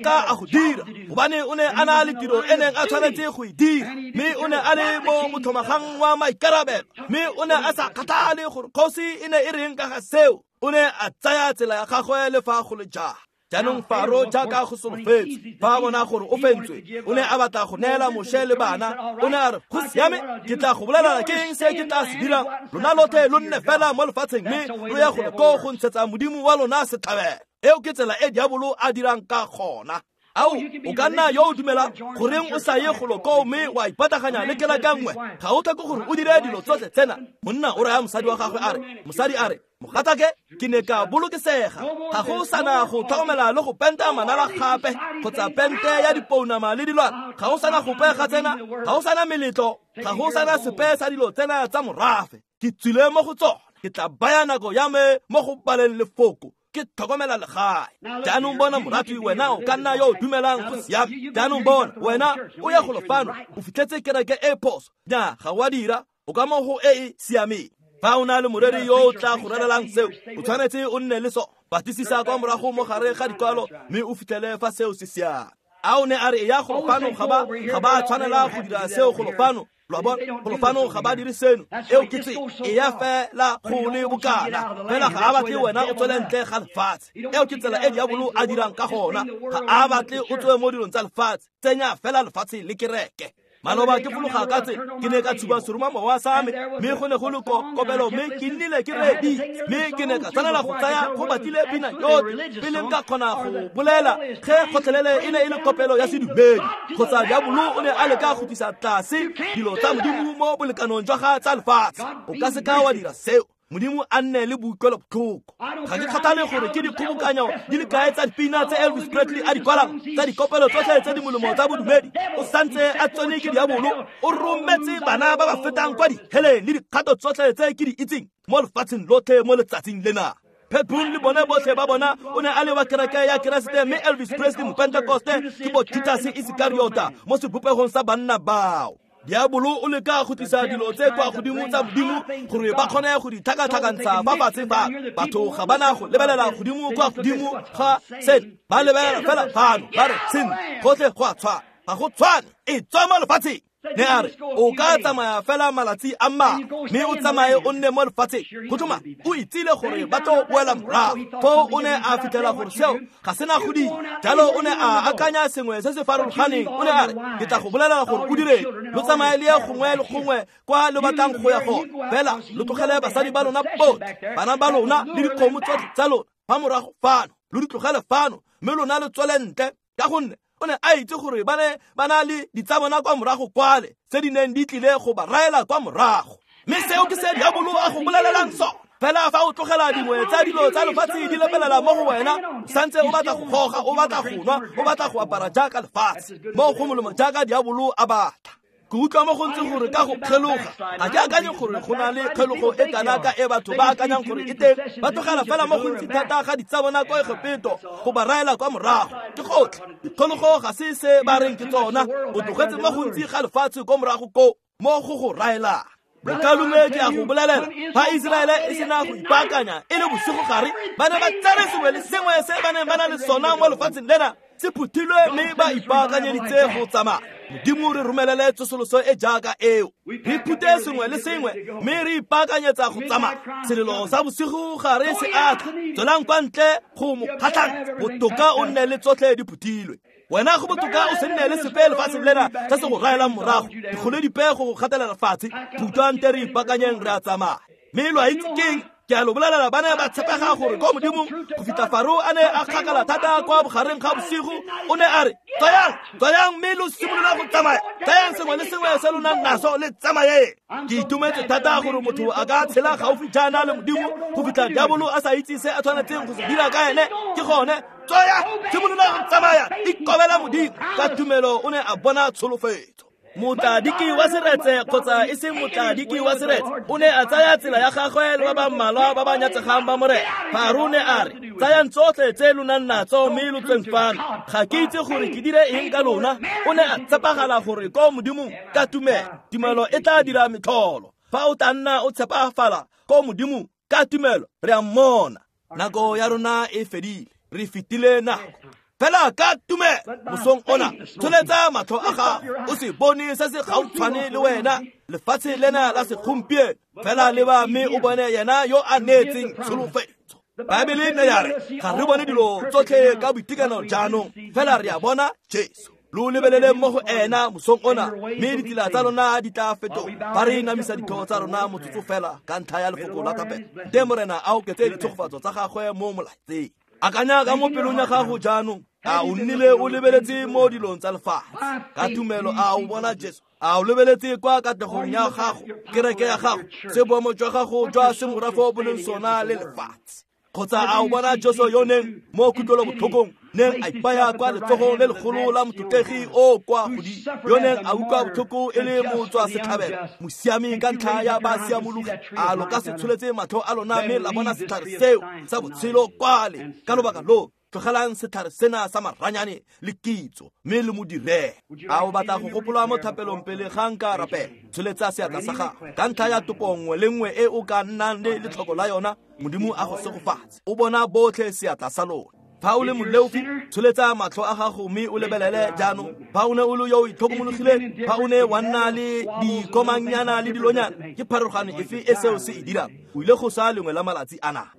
S1: ka a go dira, gobane o ne a na le tiro e neng a tshwanetse go e dira, mme o ne a le mo motlhomagang wa maikarabelo, mme o ne a sa kgathale gore kgosi e ne e reng ka ga seo. O ne a tsaya tsela ya gagwe le fa go le jang. Jaanong Faro jaaka go solofetswe, fa a bona gore o fentswe, o ne a batla go neela Moshe le bana. O ne a re, go siame, ke tla go bolelela ke eng se ke tla se dirang. Lona lotlhe lo nne fela mo lefatsheng, mme lo ye golo koo go ntshetsa Modimo wa lona setlhabelo. Eo ke tsela e diabolo a dirang ka gona. Ao, o ka nna yo o dumelang, goreng o sa ye golo koo mme wa ipataganya le kereke nngwe? Ga o tlhoke gore o dire dilo tsotlhe tsena. Monna o raya mosadi wa gagwe a re, mosadi a re, mogatake, ke ne ka bolokesega, ga go sana go tlhokomela le go penta manala gape, kgotsa pente ya dipounama le dilwana, ga go sana gope ga tsena, ga go sana meletlo, ga go sana sepe sa dilo tsena tsa morafe. Ke tswile mo go tsona, ke tla baya nako ya me mo go baleng lefoko, ke tlhokomela legae. Jaanong bona moratwi, wena o ka nna yo o dumelang go siame. Jaanong bona, wena o ya golo fano, o fitlhetse kereke e phoso. Nya, ga o a dira, o ka mo go e e siameng. Fa o na le moreri yo o tla go rerelang seo, o tshwanetse o nne le sone. Batlisisa kwa morago mo gare ga dikwalo, mme o fitlhele fa seo se siame. A o ne a re ya golo fano, ga ba tshwanela go dira seo golo fano. Lo a bona, golo fano ga ba dire seno. Eo ke tse e ya fela go le bokana, fela ga a batle wena o tswele ntle ga lefatshe. Eo ke tsela e diabolo a dirang ka gona. Ga a batle o tswe mo dilong tsa lefatshe, tsenya fela lefatshe le kereke. Maloba ke fologa ka tse, ke ne ka tshuba seromamowa sa me, mme go ne go le kopelo, mme ke nnile ke reeditse, mme ke ne ka tshwanela go tsaya go batlile pina yotlhe pele nka kgona go bolela ge gotlhelele e ne e le kopelo ya sedumedi, kgotsa diabolo o ne a leka go tlisa tlase dilo tsa Modimo mo bolekanong jwa ga tsa lefatshe. O ka se ka wa dira seo. Modimo a nne le boikutlwelobotlhoko. Ga ke kgathale gore ke dikgobokanyo di le kae tsa dipina tse Elvis Presley a di kwalang, tsa dikopelo tsotlhe tse di molemo tsa bodumedi, o santse a tsone ke diabolo. O rometse bana ba ba fetang kwa diheleng le dikgato tsotlhe tse ke di itseng mo lefatsheng lotlhe mo letsatsing lena. Pat Boone le bone botlhe ba bona o ne a le wa kereke ya Keresete, mme Elvis Presley Mopentekoste ke bo Judas Iskariota mo sebopegong sa banna bao. Diabolo o leka go tlisa dilo tse kwa godimo tsa Modimo gore ba kgone go di tlhakatlhakantsha fa fatshe fa. Batho ga ba na go lebelela godimo kwa godimo ga seno, ba lebelela fela fano, ba re sentle, gotlhe go a tshwana. Ga go tshwane, e tswa mo lefatsheng. Ne a re, o ka tsamaya fela malatsi a mmalwa, mme o tsamaye o nne mo lefatsheng. Go tlhoma o itsile gore ba tlo boela morago. Foo o ne a fitlhela gore seo ga sena go dira. Jalo o ne a akanya sengwe se se farologaneng. O ne a re, ke tla go bolelela gore o direng. Lo tsamaye le ye gongwe le gongwe kwa lo batlang go ya gone, fela lo tlogele basadi ba lona botlhe, bana ba lona le dikgomo tsotlhe tsa lona fa morago fano, lo di tlogele fano, mme lona lo tswele ntle. Ka gonne o ne a itse gore ba ne ba na le ditsabona kwa morago kwale tse di neng di tlile go ba raela kwa morago. Mme seo ke se diabolo a go bolelelang sona. Fela fa o tlogela dingwe tsa dilo tsa lefatshe di lepelela mo go wena, o santse o batla go goga, o batla go nwa, o batla go apara jaaka lefatshe, mo go molemo jaaka diabolo a batla. Ke utlwa mo gontsi gore ka go kgeloga, ga ke akanye gore go na le kgelogo e kana ka e batho ba akanyang gore e teng. Ba tlogela fela mo gontsi thata ga ditsabona kwa Egepeto go ba raela kwa morago. Ke gotlhe, dikgologo ga se se ba reng ke tsona. O tlogetse mo gontsi ga lefatshe kwa morago koo mo go go raelang. Bokalume ke a go bolelela, fa Iseraele e sena go ipaakanya e le bosigo gare, ba ne ba tsere sengwe le sengwe se ba neng ba na le sona mo lefatsheng lena se phuthilwe, mme ba ipaakanyeditse go tsamaya. Modimo re romelele tsosoloso e jaaka eo. Re phute sengwe le sengwe, mme re ipaakanyetsa go tsamaya. Selelo sa bosigo gare se a tla, tswelang kwa ntle go mo kgatlhang. Botoka o nne le tsotlhe di phuthilwe. Wena go botoka o se nne le sepe lefatsheng lena se se go raelang morago, dikgole dipe go gatelela fatshe. Phutwang te re ipaakanyeng, re a tsamaya. Mme lo a itse keng? Ke a lo bolelela ba ne ba tshepega gore ko Modimong go fitlha Faro a ne a kgakala thata kwa bogareng ga bosigo, o ne a re, tswayang, tswayang mme lo simolola go tsamaya, tsayang sengwe le sengwe se lo nang naso le tsamayeng. Ke itumetse thata gore motho a ka tshela gaufi jaana le Modimo go fitlha diabolo a sa itse se a tshwanetseng go se dira ka ene. Ke gone, tswaya, simolola go tsamaya, ikobela Modimo. Ka tumelo o ne a bona tsholofetso. Motladiki wa seretse kgotsa e seng motladiki wa seretse o ne a tsaya tsela ya gagwe le ba ba mmalwa ba ba nyatsegang ba Morena. Faro ne a re, tsayang tsotlhe tse lo nang natso mme lo tsweng fano. Ga ke itse gore ke dire eng ka lona. O ne a tshepagala gore ko Modimong ka tumelo. Tumelo e tla dira metlholo. Fa o tla nna o tshepafala ko Modimong ka tumelo, re a mmona. Nako ya rona e fedile, re fetile nako. Fela ka tumelo mosong ona, tsholetsa matlho a gago, o se bone se se gautshwane le wena, lefatshe lena la segompieno. Fela leba mme o bone yena yo a neetseng tsholofetso. Baebele ne ya re, ga re bone dilo tsotlhe ka boitekanelo jaanong, fela re a bona Jesu. Lo lebelele mo go ena mosong ona, mme ditsela tsa lona di tla fetoga. Fa re inamisa ditho tsa rona motsotso fela ka ntlha ya lefoko la thapelo, te Morena a oketse ditshegofatso tsa gagwe mo molaetseng. Akanya ka mo pelong ya gago jaanong, a o nnile o lebeletse mo dilong tsa lefatshe? Ka tumelo a o bona Jesu? A o lebeletse kwa katlegong ya gago, kereke ya gago, se boemo jwa gago jwa semorafo bo leng sona le lefatshe? Kgotsa a o bona Jesu yo neng mo kutlwelobotlhokong neng a ipaya kwa letsogong le legolo la motlotlegi o kwa godimo, yo neng a utlwa botlhoko e le motswa setlhabelo, mosiami ka ntlha ya ba siamologi? A lo ka se tsholetse matlho a lona mme la bona setlhare seo sa botshelo kwale? Ka lobaka lo, tlogelang setlhare sena sa maranyane le kitso mme le mo direle. A o batla go gopola mo thapelong pele ga nka rapela? Tsholetsa seatla sa gago ka ntlha ya topo nngwe le nngwe e o ka nnang le letlhoko la yona. Modimo a go segofatse. O bona botlhe seatla sa lona. Fa o le moleofi, tsholetsa matlho a gago mme o lebelele jaanong. Fa o ne o le yo o itlhokomologileng, fa o ne wa nna le dikomangnyana le dilonyana, ke pharologano efe e seo se e dirang? O ile go sa lengwe la malatsi ana.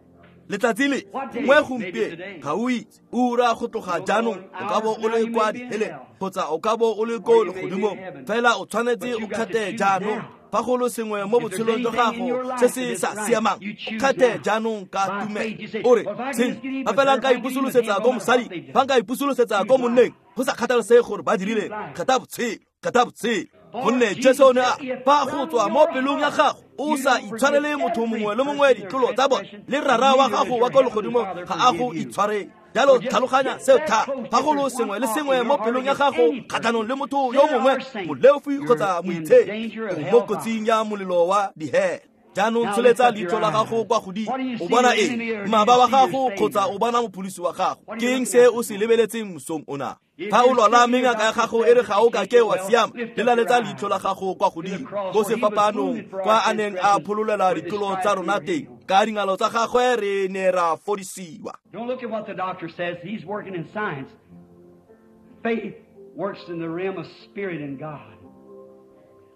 S1: Letsatsi le gongwe gompieno ga o itse ura go tloga jaanong o ka bo o le kwa diheleng kgotsa o ka bo o le ko legodimong, fela o tshwanetse o kgethe jaanong. Fa go le sengwe mo botshelong jwa gago se se sa siamang, o kgethe jaanong ka tumelo. O re, seng fa fela nka ipusolosetsa ko mosading, fa nka ipusolosetsa ko monneng, go sa kgathalesege gore ba dirileng, kgetha botshelo, kgetha botshelo. Gonne Jesu o ne a fa go tswa mo pelong ya gago o sa itshwarele motho mongwe le mongwe ditlolo tsa bone, le rara wa gago wa ko legodimong ga a go itshwarele. Jalo tlhaloganya seo thata. Fa go le sengwe le sengwe mo pelong ya gago kgatlhanong le motho yo mongwe, moleofi kgotsa moitshepi, o mo kotsing ya molelo wa dihele. Jaanong tsholetsa leitlho la gago kwa godimo, o bona eng? Mmaba wa gago kgotsa o bona mopholosi wa gago? Ke eng se o se lebeletseng mosong ona? Fa o lwala mme ngaka ya gago e re ga o ka ke wa siama, lelaletsa leitlho la gago kwa godimo ko sefapanong kwa a neng a phololela ditlolo tsa rona teng. Ka dingalo tsa gagwe re ne ra fodisiwa.
S2: Don't look at what the doctor says. He's working in science. Faith works in the realm of spirit and God.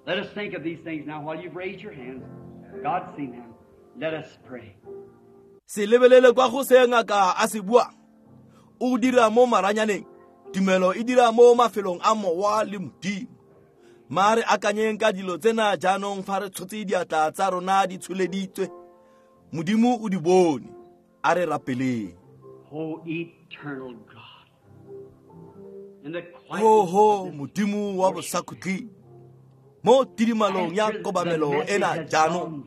S2: Let us think of these things now while you've raised your hands. God's seen them. Let us pray.
S1: Se lebelele kwa go se ngaka a se buang. O dira mo maranyaneng. Tumelo e dira mo mafelong a mowa le Modimo. Mare akanyeng ka dilo tsena jaanong fa re tshotse diatla tsa rona di tsholeditswe. Modimo o di bone. A re rapeleng.
S2: O eternal God. In the quiet
S1: Oho Modimo wa bosakhutleng, mo tidimalong ya kobamelo ena jaanong,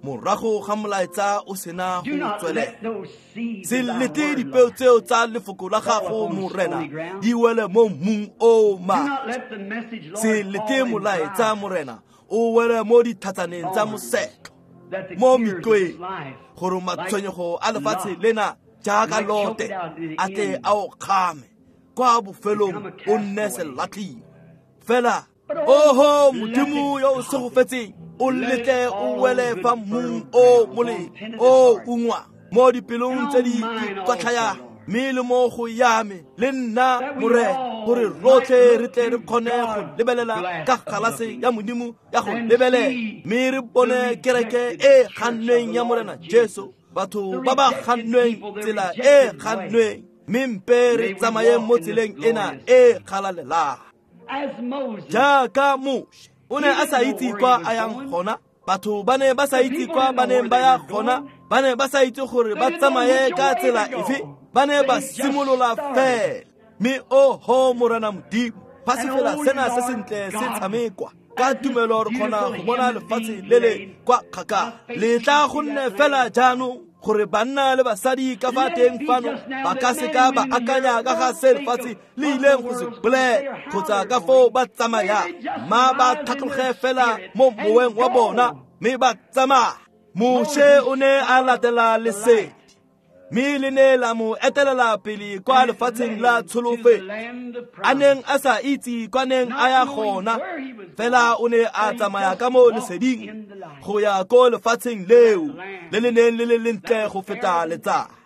S1: morago ga molaetsa o sena go tswelela, se lete dipeo tseo tsa lefoko la gago Morena di wele mo mmung o maswe. Se lete molaetsa Morena o wele mo dithatsaneng tsa mosetlo, mo metlweng, gore matshwenyego a lefatshe lena jaaka Lote a tle a o kgame kwa bofelong o nne selatlhiwa. Fela oho Modimo yo o segofetseng, o letle o wele fa mmung o molemo o ungwa mo dipelong tse di ikwatlhayang, mme le mo go ya me le nna Morena, gore rotlhe re tle re kgone go lebelela ka galase ya Modimo ya go lebelela, mme re bone kereke e gannweng ya Morena Jesu, batho ba ba gannweng tsela e gannweng, mme mpe re tsamayeng mo tseleng ena e galalelang. Jaaka Moshe o ne a sa itse kwa a yang gona, batho ba ne ba sa itse kwa ba neng ba ya gona, Ba ne ba sa itse gore ba tsamaye ka tsela efe, ba ne ba simolola fela. Mme oho Morena Modimo, fa se fela sena se sentle se tshamekwa ka tumelo re kgona go bona lefatshe le le kwa kgakala. Le tla go nne fela jaanong gore banna le basadi ka fa teng fano ba ka seka ba akanya ka ga se lefatshe le ileng go se bolela kgotsa ka foo ba tsamayang, ma ba tlhatloge fela mo moweng wa bona mme ba tsamaya. Moshe o ne a latela lesedi, mme le ne la mo etelela pele kwa lefatsheng la tsholofelo, a neng a sa itse kwa neng a ya gona, fela o ne a tsamaya ka mo leseding go ya ko lefatsheng leo le le neng le le lentle go feta letsatsi.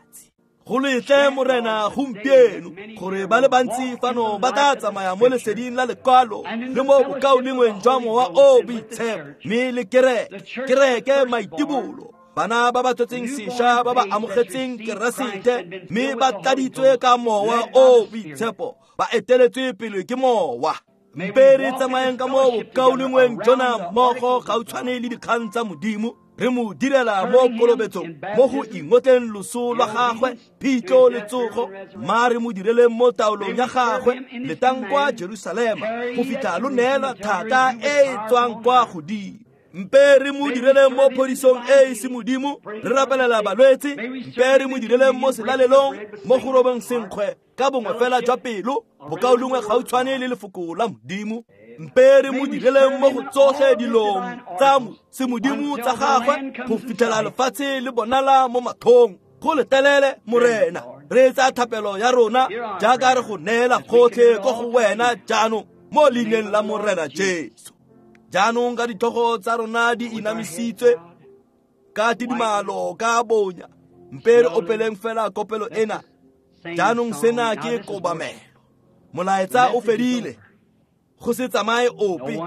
S1: Go letle Morena gompieno gore ba le bantsi fano ba tla tsamaya mo leseding la lekwalo le mo bokaulengweng jwa Mowa o Boitshepo, mme le kereke maitibolo, bana ba ba tswetseng sešwa ba ba amogetseng Keresete mme ba tladitswe ka Mowa o Boitshepo, ba eteletswe pele ke Mowa. Mpe re tsamayeng ka mo bokaulengweng jona mmogo gautshwane le dikgang tsa Modimo, re mo direla mo kolobetsong, mo go ingotleng loso lwa gagwe, phitlho le tsogo, ma re mo direleng mo taolong ya gagwe, letang kwa Jerusalema go fitlha lo neelwa thata e e tswang kwa godimo. Mpe re mo direleng mo phodisong e e se Modimo, re rapelela balwetse. Mpe re mo direleng mo selalelong, mo go robeng senkgwe ka bongwe fela jwa pelo, bokaulengwe gautshwane le lefoko la Modimo. Mpe re mo direleng mo go tsotlhe dilong tsa semodimo tsa gagwe go fitlhela lefatshe le bonala mo mathong. Go letelele Morena, re etsa thapelo ya rona jaaka re go neela gotlhe ko go wena jaanong mo leineng la Morena Jesu. Jaanong ka ditlhogo tsa rona di inamisitswe ka tidimalo ka bonya, mpe re opeleng fela kopelo ena. Jaanong sena ke kobamelo. Molaetsa o fedile, go se tsamaye ope,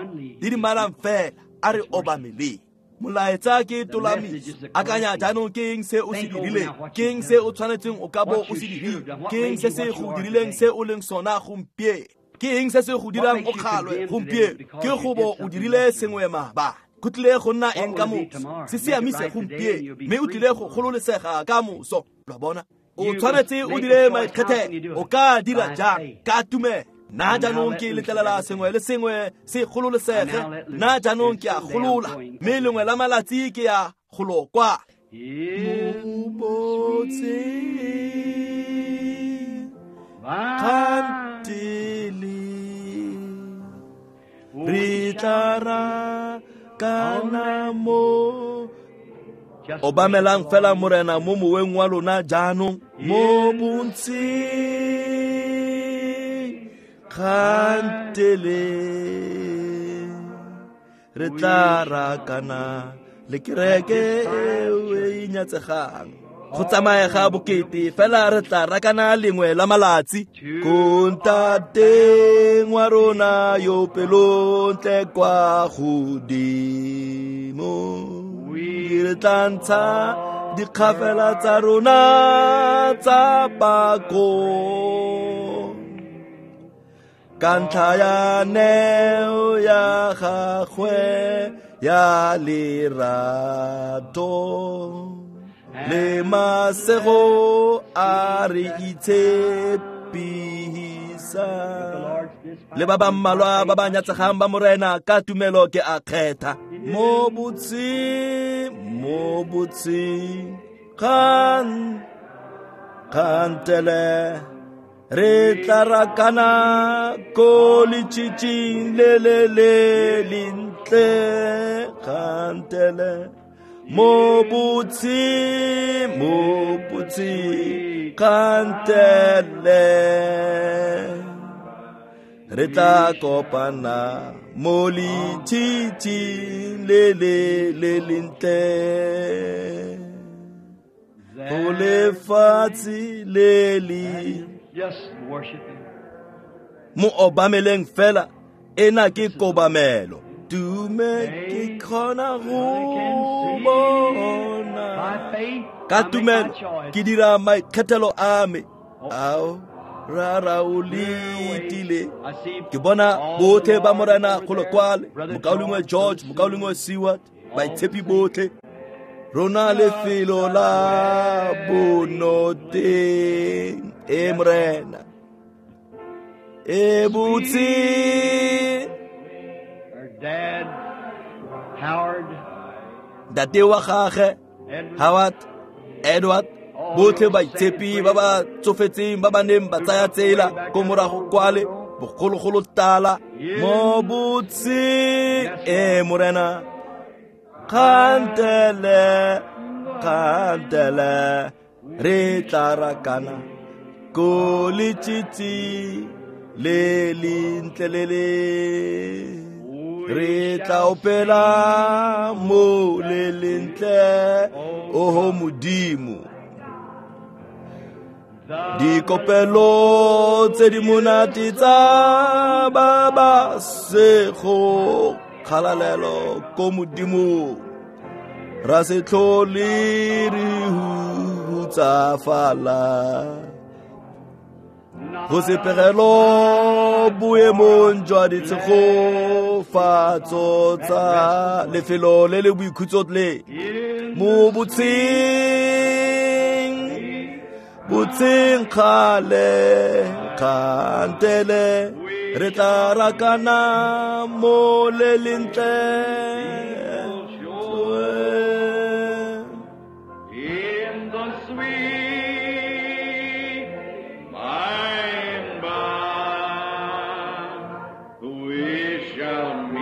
S1: didimalang fela, a re obameleng. Molaetsa ke tolamiso. Akanya jaanong ke eng se o se dirileng, ke eng se o tshwanetseng o ka bo o se dirile, ke eng se se go dirileng se o leng sona gompieno, ke eng se se go dirang o kgalwe gompieno, ke go bo o dirile sengwe maabane. Go tlile go nna eng ka moso? Se siamise gompieno, mme o tlile go gololesega ka moso. Lwa bona, o tshwanetse o dire maikgethelo. O ka dira jang? Ka tumelo. Nna jaanong ke letlelela sengwe le sengwe se gololesege. Nna jaanong ke a golola, mme lengwe la malatsi ke ya golo kwa. Mo botse kgantele, re tla rakana mo. Obamelang fela Morena mo moweng wa lona jaanong. Mo bontseng kgantele, re tla rakana le kereke eo e inyatsegang. Go tsamaega bokete fela re tla rakana lengwe la malatsi. Ko ntateng wa rona yo pelontle kwa godimo, re tla ntsha dikgafela tsa rona tsa pako ka ntlha ya neo ya gagwe ya lerato le masego a re itshepisa. Le ba ba mmalwa ba ba nyatsegang ba Morena ka tumelo ke a kgetha. Mo botse kgantele, re tla rakana ko letšitšing le le le lentle. Kgantele, mo botse kgantele, re tla kopana mo letšitšing le le le lentle. Go lefatshe le le. Mo obameleng fela, ena ke kobamelo. Tume ke kgona go bona ka tumelo ke dira maikgethelo a me. Ao rara o letile. Ke bona botlhe ba Morena golo kwale, mokaulengwe George, mokaulengwe Seward, baitshepi botlhe. Rona lefelo la bonoteng e Morena e botse.
S2: Dad, Howard,
S1: ntate wa gagwe Howard, Edward, botlhe baitshepi ba ba tsofetseng ba ba neng ba tsaya tsela ko morago kwale bogologolo tala mo botse e Morena. Kgantele, kgantele re tla rakana ko letšitši le lentle le le re tla opela mo le lentle oho Modimo. Dikopelo tse di monate tsa ba ba sego kgalalelo ko Modimo, ra se tlhole re hutsafala. Go se pegelo boemong jwa ditshegofatso tsa lefelo le le boikhutso le mo botsheng, botsheng kgale kgantele re tla rakana mo le lentle.
S2: In the sweet by and by we shall meet.